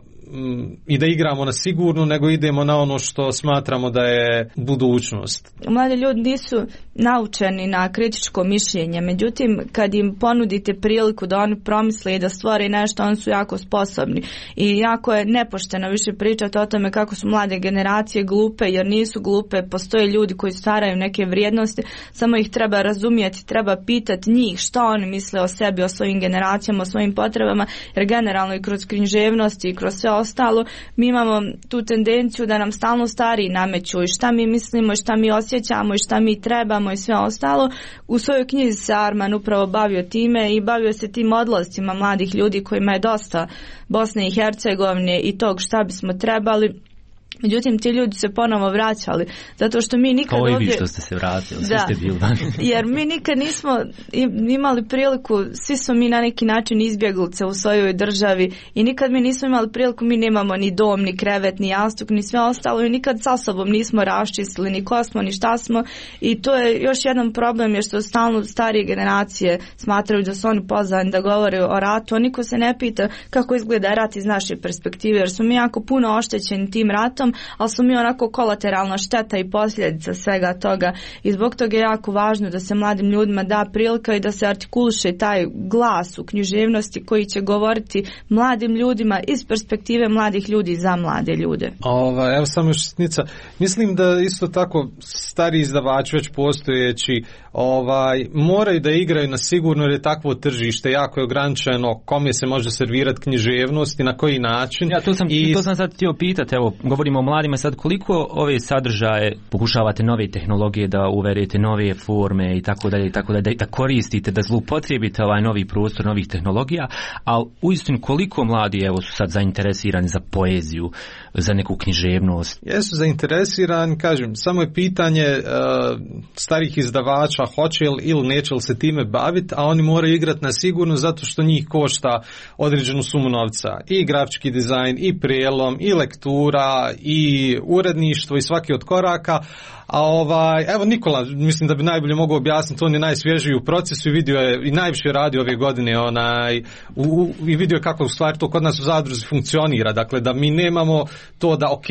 i da igramo na sigurno, nego idemo na ono što smatramo da je budućnost. Mladi ljudi nisu naučeni na kritičko mišljenje, međutim kad im ponudite priliku da oni promisle i da stvore nešto, oni su jako sposobni i jako je nepošteno više pričati o tome kako su mlade generacije glupe, jer nisu glupe, postoje ljudi koji staraju neke vrijednosti, samo ih treba razumjeti, treba pitati njih što oni misle o sebi, o svojim generacijama, o svojim potrebama, jer generalno i kroz književnost i kroz sve ostalo, mi imamo tu tendenciju da nam stalno stariji nameću i šta mi mislimo i šta mi osjećamo i šta mi trebamo i sve ostalo. U svojoj knjizi se Arman upravo bavio time i bavio se tim odlascima mladih ljudi kojima je dosta Bosne i Hercegovine i tog šta bismo trebali. Međutim, ti ljudi se ponovo vraćali, zato što mi nikad ovdje... Kao i vi što ste se vratili, svi da, ste bili. jer mi nikad nismo imali priliku, svi smo mi na neki način izbjeglice u svojoj državi i nikad mi nismo imali priliku, mi nemamo ni dom, ni krevet, ni jastuk, ni sve ostalo i nikad sa sobom nismo raščistili ni ko smo, ni šta smo i to je još jedan problem, je što stalno starije generacije smatraju da su oni pozvani da govore o ratu, a niko se ne pita kako izgleda rat iz naše perspektive, jer smo mi jako puno oštećeni tim ratom, ali smo mi onako kolateralna šteta i posljedica svega toga i zbog toga je jako važno da se mladim ljudima da prilika i da se artikuliše taj glas u književnosti koji će govoriti mladim ljudima iz perspektive mladih ljudi za mlade ljude. Ova, evo samo još sitnica. Mislim da isto tako stari izdavači već postojeći ovaj, moraju da igraju na sigurno, jer je takvo tržište jako je ograničeno kome se može servirati književnost i na koji način. Ja, to sam, I... to sam sad htio pitati, evo, govorimo o mladima sad, koliko ove sadržaje pokušavate nove tehnologije da uvedete, nove forme i tako dalje i tako dalje, da koristite, da zloupotrijebite ovaj novi prostor novih tehnologija, a uistinu koliko mladi evo su sad zainteresirani za poeziju, za neku književnost? Jesu zainteresirani, kažem, samo je pitanje uh, starih izdavača hoće li ili neće li se time baviti, a oni moraju igrati na sigurno zato što njih košta određenu sumu novca. I grafički dizajn, i prijelom, i lektura, i uredništvo, i svaki od koraka. A ovaj, evo Nikola, mislim da bi najbolje mogao objasniti, on je najsvježiji u procesu i vidio je, i najviše radi ove godine, onaj, u, u, i vidio je kako u stvari to kod nas u zadruzi funkcionira, dakle da mi nemamo to da ok,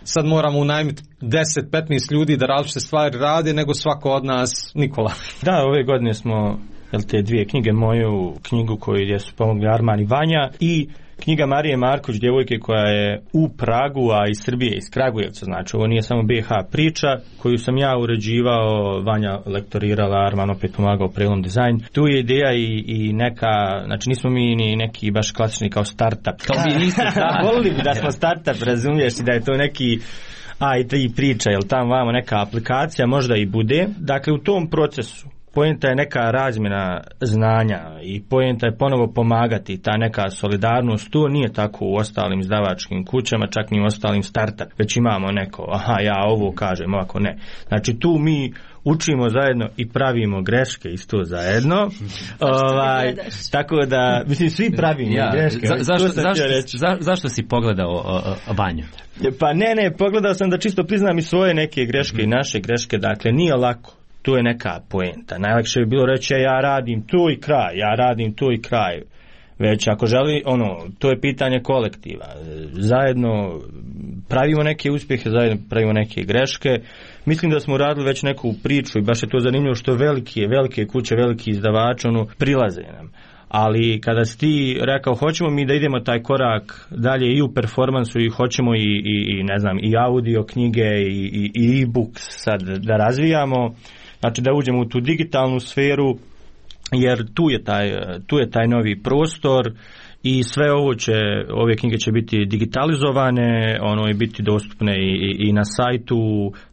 sad moramo unajmiti deset do petnaest ljudi da različite stvari rade, nego svako od nas. Nikola. Da, ove godine smo, jel, te dvije knjige, moju knjigu koju su pomogli Arman i Vanja i knjiga Marije Marković, djevojke koja je u Pragu, a iz Srbije, iz Kragujevca, znači ovo nije samo B H priča, koju sam ja uređivao, Vanja lektorirala, Arman opet pomagao prelom dizajn. Tu je ideja i, i neka, znači nismo mi ni neki baš klasični kao startup. Kao vi niste, da. Volili bi da smo startup, razumiješ, i da je to neki a i tri priča, jel tam vamo neka aplikacija, možda i bude. Dakle, u tom procesu poenta je neka razmjena znanja i poenta je ponovo pomagati, ta neka solidarnost. To nije tako u ostalim izdavačkim kućama, čak ni u ostalim startup, već imamo neko, aha, ja ovo kažem, ovako ne. Znači tu mi učimo zajedno i pravimo greške isto zajedno. ovaj, tako da, mislim, svi pravimo ja, greške. Za, zašto, zašto, za, zašto si pogledao Vanju? Pa ne, ne, pogledao sam da čisto priznam i svoje neke greške mm. i naše greške, dakle, nije lako. To je neka poenta. Najlakše bi bilo reći ja radim to i kraj, ja radim to i kraj. Već ako želi, ono, to je pitanje kolektiva. Zajedno pravimo neke uspjehe, zajedno pravimo neke greške. Mislim da smo radili već neku priču i baš je to zanimljivo što velike, velike kuće, veliki izdavači, ono, prilaze nam. Ali kada si ti rekao hoćemo mi da idemo taj korak dalje i u performansu i hoćemo i, i, i ne znam, i audio knjige i, i, i e-book sad da razvijamo, znači da uđemo u tu digitalnu sferu, jer tu je taj, tu je taj novi prostor i sve ovo će, ove knjige će biti digitalizovane, ono i biti dostupne i, i, i na sajtu,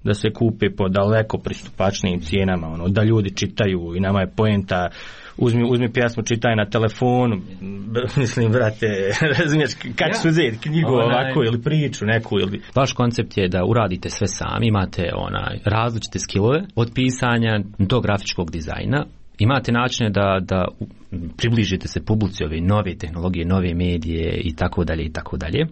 da se kupe po daleko pristupačnijim cijenama, ono, da ljudi čitaju i nama je poenta, uzmi, uzmi pjesmu, čitaj na telefonu, mislim, brate, razumiješ, kako su uzeti knjigu onaj, ovako ili priču neku ili... Vaš koncept je da uradite sve sami, imate onaj različite skillove, od pisanja do grafičkog dizajna, imate načine da, da približite se publici ove nove tehnologije, nove medije i tako dalje i tako dalje.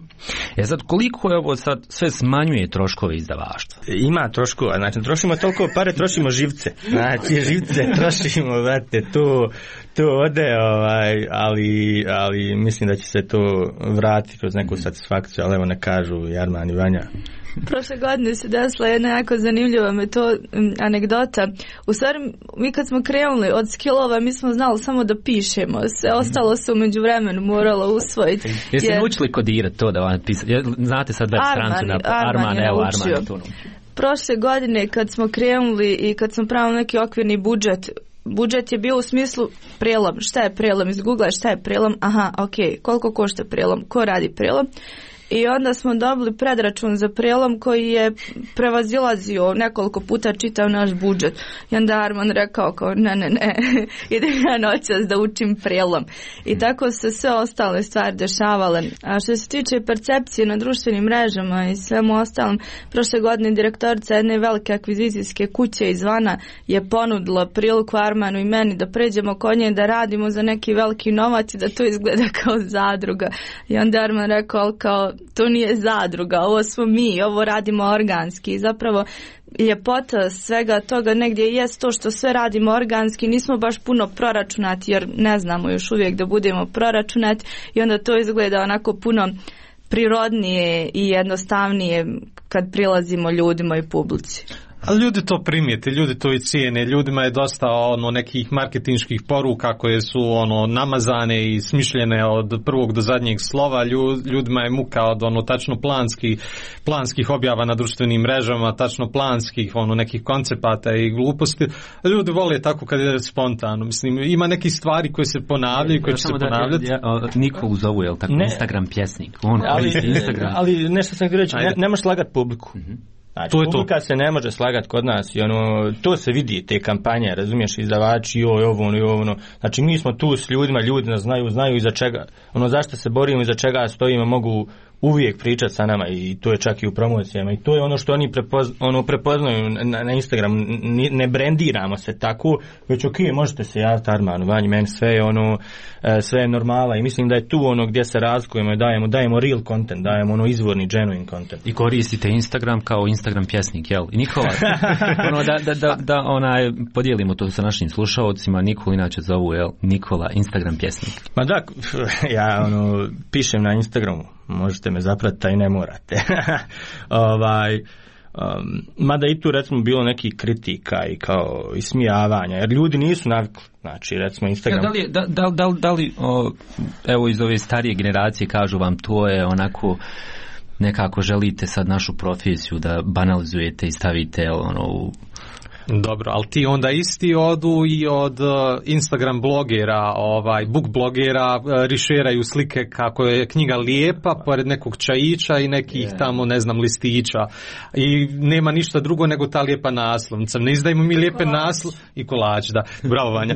E sad, koliko je ovo sad sve smanjuje troškove izdavaštva? Ima troškova, znači trošimo toliko pare, trošimo živce. Znači živce trošimo, vrate, to, to ode, ovaj, ali, ali mislim da će se to vratiti kroz neku satisfakciju, ali evo ne kažu Jarman i Vanja. Prošle godine se desila jedna jako zanimljiva metod, anegdota. U stvari, mi kad smo krenuli od skillova, mi smo znali samo da pišemo. Sve ostalo se umeđu vremenu moralo usvojiti. Jeste jer... naučili kodirati to da vam pisati? Znate sad web strancu na Arman, Arman, evo Arman to naučio. Prošle godine kad smo krenuli i kad smo pravili neki okvirni budžet, budžet je bio u smislu prelom. Šta je prelom? Iz Google šta je prelom? Aha, ok. Koliko košta prelom? Ko radi prelom? I onda smo dobili predračun za prelom koji je prevazilazio, nekoliko puta čitao naš budžet. I onda Arman rekao kao ne, ne, ne, idem ja noćas da učim prelom. I tako se sve ostale stvari dešavale. A što se tiče percepcije na društvenim mrežama i svemu ostalom, prošle godine direktorica jedne velike akvizicijske kuće izvana je ponudila priliku Armanu i meni da pređemo kod nje da radimo za neki veliki novac i da to izgleda kao zadruga. I onda Arman rekao kao to nije zadruga, ovo smo mi, ovo radimo organski. I zapravo ljepota svega toga negdje jest to što sve radimo organski, nismo baš puno proračunati jer ne znamo još uvijek da budemo proračunati i onda to izgleda onako puno prirodnije i jednostavnije kad prilazimo ljudima i publici. Ali ljudi to primijete, ljudi to i cijene, ljudima je dosta ono nekih marketinških poruka koje su ono namazane i smišljene od prvog do zadnjeg slova, ljudima je muka od ono tačno planskih, planskih objava na društvenim mrežama, tačno planskih ono nekih koncepata i gluposti. Ljudi vole tako kad je spontano, mislim ima neki stvari koje se ponavljaju, koje će se ponavljati. Ja, ja, Nikolu zovu, je li tako, ne. Instagram pjesnik, on ali, Instagram. Ali nešto sam htio reći, ne, ne možeš slagati publiku. Mm-hmm. Znači, to je publika to. Se ne može slagati kod nas i ono, to se vidi, te kampanje, razumiješ, izdavači, joj, ovo, ono, ovo, ono. Znači, mi smo tu s ljudima, ljudi nas znaju, znaju iza čega, ono, zašto se borimo, iza čega stojimo, mogu uvijek pričati sa nama i to je čak i u promocijama i to je ono što oni prepozna, ono, prepoznaju na, na Instagram, ne, ne brendiramo se tako, već ok, možete se javiti Armanu, Vanji, meni sve je ono, sve je normala i mislim da je tu ono gdje se razlikujemo i dajemo, dajemo real content, dajemo ono izvorni, genuine content. I koristite Instagram kao Instagram pjesnik, jel? I Nikola, ono, da, da, da, da onaj, podijelimo to sa našim slušalcima, Nikola inače zovu, jel? Nikola, Instagram pjesnik. Ma da, ja ono, pišem na Instagramu. Možete me zapratiti, a i ne morate. ovaj, um, mada i tu recimo bilo neki kritika i kao ismijavanja, jer ljudi nisu navikli. Znači, recimo Instagram... Ja, da li, da, da, da, da li o, evo iz ove starije generacije kažu vam to je onako nekako želite sad našu profesiju da banalizujete i stavite ono u... Dobro, ali ti onda isti odu i od uh, Instagram blogera, ovaj, book blogera, uh, rišeraju slike kako je knjiga lijepa, pored nekog čajića i nekih yeah. tamo, ne znam, listića. I nema ništa drugo nego ta lijepa naslovnica. Ne izdajemo mi lijepe naslovnice i kolač, da, bravo Vanja.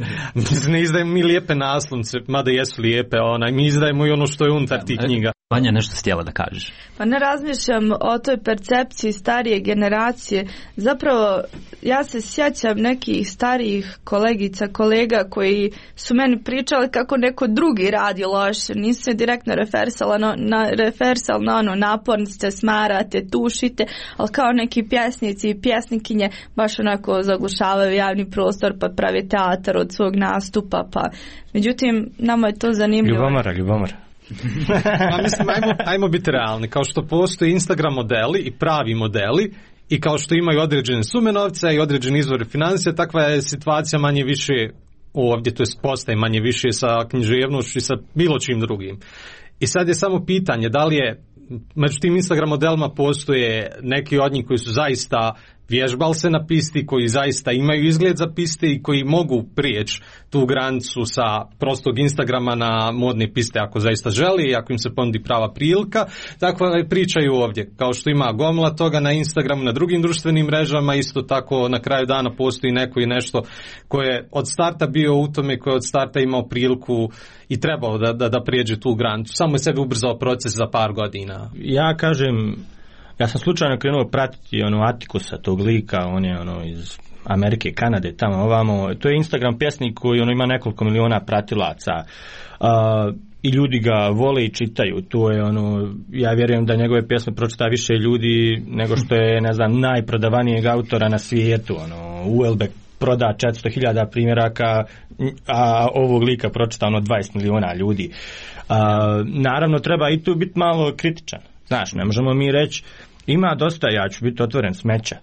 Ne izdajemo mi lijepe naslovnice, mada jesu lijepe, onaj, mi izdajemo i ono što je unutar tih knjiga. Vanja, nešto htjela da kažeš? Pa ne razmišljam o toj percepciji starije generacije. Zapravo, ja se sjećam nekih starijih kolegica, kolega koji su meni pričali kako neko drugi radi loše. Nisu se direktno refersala na, na, refersal na ono napornice, smarate, tušite, ali kao neki pjesnici i pjesnikinje baš onako zaglušavaju javni prostor pa prave teatar od svog nastupa. Pa. Međutim, nama je to zanimljivo. Ljubomora, ljubomora. A mislim, ajmo, ajmo biti realni. Kao što postoje Instagram modeli i pravi modeli, i kao što imaju određene sume novca i određene izvore financija, takva je situacija manje više ovdje, to jest postaje manje više sa književnošću i sa bilo čim drugim. I sad je samo pitanje da li je među tim Instagram modelima postoje neki od njih koji su zaista vježbali se na pisti, koji zaista imaju izgled za piste i koji mogu prijeći tu granicu sa prostog Instagrama na modne piste ako zaista želi i ako im se ponudi prava prilika. Tako pričaju ovdje, kao što ima gomila toga na Instagramu, na drugim društvenim mrežama, isto tako na kraju dana postoji neko i nešto koje je od starta bio u tome, koje je od starta imao priliku i trebao da, da, da prijeđe tu granicu. Samo je sebi ubrzao proces za par godina. Ja kažem, ja sam slučajno krenuo pratiti ono Atikusa, tog lika, on je ono iz Amerike, Kanade, tamo ovamo. To je Instagram pjesnik koji ono ima nekoliko miliona pratilaca. Uh, I ljudi ga vole i čitaju. To je ono, ja vjerujem da njegove pjesme pročita više ljudi nego što je, ne znam, najprodavanijeg autora na svijetu. Ono, Uelbek proda četiristo hiljada primjeraka, a ovog lika pročita ono dvadeset miliona ljudi. Uh, naravno, treba i tu biti malo kritičan. Znaš, ne možemo mi reći, ima dosta, ja ću biti otvoren, smeća.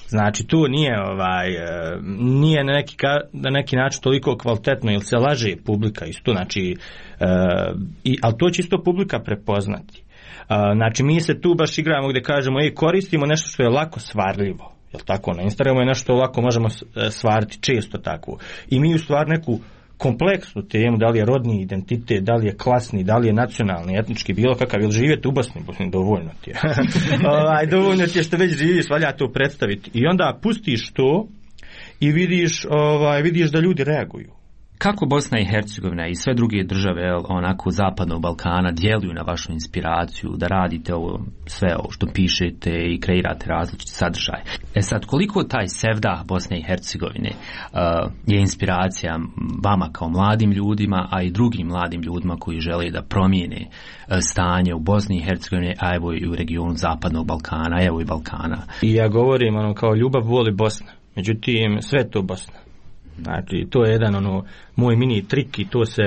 Znači, tu nije, ovaj, nije na neki, na neki način toliko kvalitetno, jer se laže publika isto, znači, i, ali to će isto publika prepoznati. Znači, mi se tu baš igramo gdje kažemo, ej, koristimo nešto što je lako svarljivo. Jel tako, na Instagramu je nešto lako možemo svariti, često tako. I mi u stvari neku kompleksnu temu, da li je rodni identitet, da li je klasni, da li je nacionalni, etnički, bilo kakav, ili živjeti u Bosni, Bosni dovoljno ti je. ovaj, dovoljno ti je što već živiš, valja to predstaviti. I onda pustiš to i vidiš, ovaj, vidiš da ljudi reaguju. Kako Bosna i Hercegovina i sve druge države onako zapadnog Balkana djeluju na vašu inspiraciju da radite ovo, sve ovo što pišete i kreirate različite sadržaje? E sad, koliko taj sevdah Bosne i Hercegovine uh, je inspiracija vama kao mladim ljudima, a i drugim mladim ljudima koji žele da promijene uh, stanje u Bosni i Hercegovini, a evo i u regionu zapadnog Balkana, evo i Balkana? I ja govorim ono kao ljubav voli Bosna, međutim sve to Bosna. Znači, to je jedan ono moj mini trik i to se,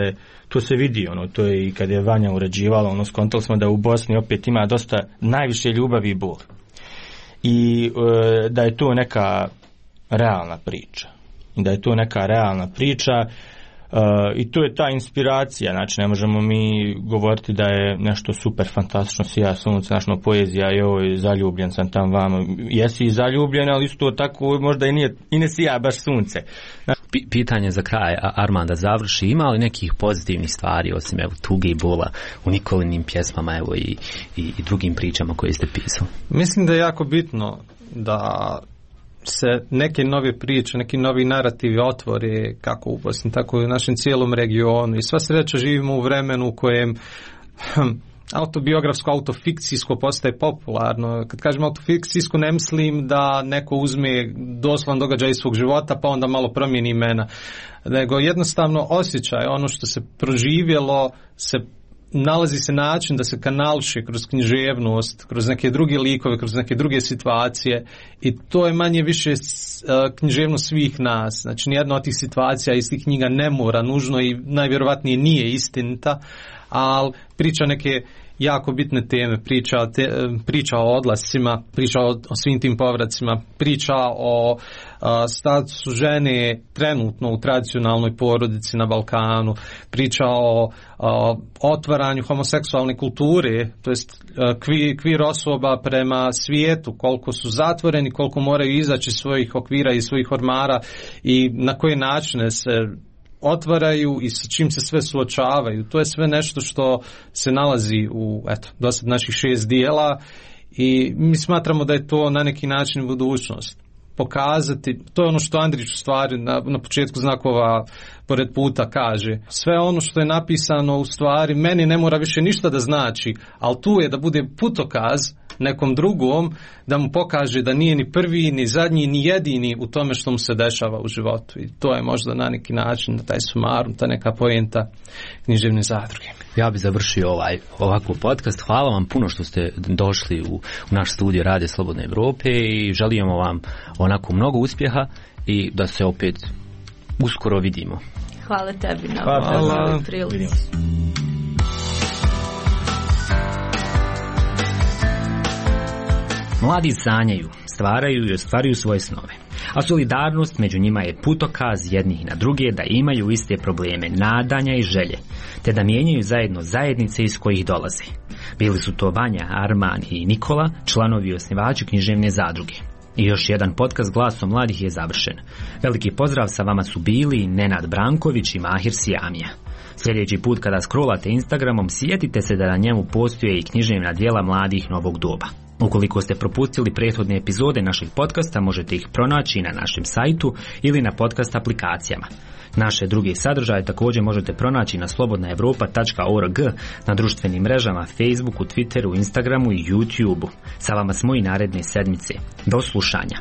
to se vidi, ono, to je i kad je Vanja uređivala, ono, skontali smo da u Bosni opet ima dosta najviše ljubavi i bol. I e, da je to neka realna priča. I da je to neka realna priča e, i to je ta inspiracija, znači ne možemo mi govoriti da je nešto super fantastično, sija sunce, našno poezija, joj, zaljubljen sam tam vamo, jesi i zaljubljen, ali isto tako možda i, nije, i ne sija baš sunce. P- pitanje za kraj, Arman, da završi, ima li nekih pozitivnih stvari osim evo tuge i bola u Nikolinim pjesmama, evo i, i, i drugim pričama koje ste pisali? Mislim da je jako bitno da se neke nove priče, neki novi narativi otvore kako u Bosni, tako i u našem cijelom regionu. I sva sreća živimo u vremenu u kojem hm, autobiografsko, autofikcijsko postaje popularno. Kad kažem autofikcijsko, ne mislim da neko uzme doslovan događaj iz svog života pa onda malo promijeni imena, nego jednostavno osjećaj, ono što se proživjelo, se nalazi se način da se kanališe kroz književnost, kroz neke druge likove, kroz neke druge situacije, i to je manje više književnost svih nas. Znači, nijedna od tih situacija iz tih knjiga ne mora nužno i najvjerovatnije nije istinita, ali priča neke jako bitne teme, priča, te, priča o odlascima, priča o, o svim tim povracima, priča o a, statusu žene trenutno u tradicionalnoj porodici na Balkanu, priča o a, otvaranju homoseksualne kulture, to jest kvir, kvir osoba prema svijetu, koliko su zatvoreni, koliko moraju izaći iz svojih okvira i svojih ormara i na koje načine se otvaraju i sa čim se sve suočavaju. To je sve nešto što se nalazi u, eto, dosad naših šest dijela i mi smatramo da je to na neki način budućnost. Pokazati, to je ono što Andrić u stvari na, na početku znakova pored puta kaže. Sve ono što je napisano u stvari meni ne mora više ništa da znači, ali tu je da bude putokaz nekom drugom, da mu pokaže da nije ni prvi, ni zadnji, ni jedini u tome što mu se dešava u životu. I to je možda na neki način, taj sumarum, ta neka poenta književne zadruge. Ja bih završio ovaj, ovako podcast. Hvala vam puno što ste došli u, u naš studio Radio Slobodne Evrope i želimo vam onako mnogo uspjeha i da se opet uskoro vidimo. Hvala tebi na ovoj prilici. Mladi sanjaju, stvaraju i ostvaruju svoje snove, a solidarnost među njima je putokaz jednih na druge da imaju iste probleme nadanja i želje, te da mijenjaju zajedno zajednice iz kojih dolaze. Bili su to Vanja, Arman i Nikola, članovi i osnivači književne zadruge. I još jedan podcast Glasom mladih je završen. Veliki pozdrav, sa vama su bili Nenad Branković i Mahir Sijamija. Sljedeći put kada scrollate Instagramom, sjetite se da na njemu postoje i književna djela mladih novog doba. Ukoliko ste propustili prethodne epizode naših podcasta, možete ih pronaći na našem sajtu ili na podcast aplikacijama. Naše druge sadržaje također možete pronaći na slobodna evropa tačka org, na društvenim mrežama Facebooku, Twitteru, Instagramu i YouTubeu. Sa vama smo i naredne sedmice. Do slušanja.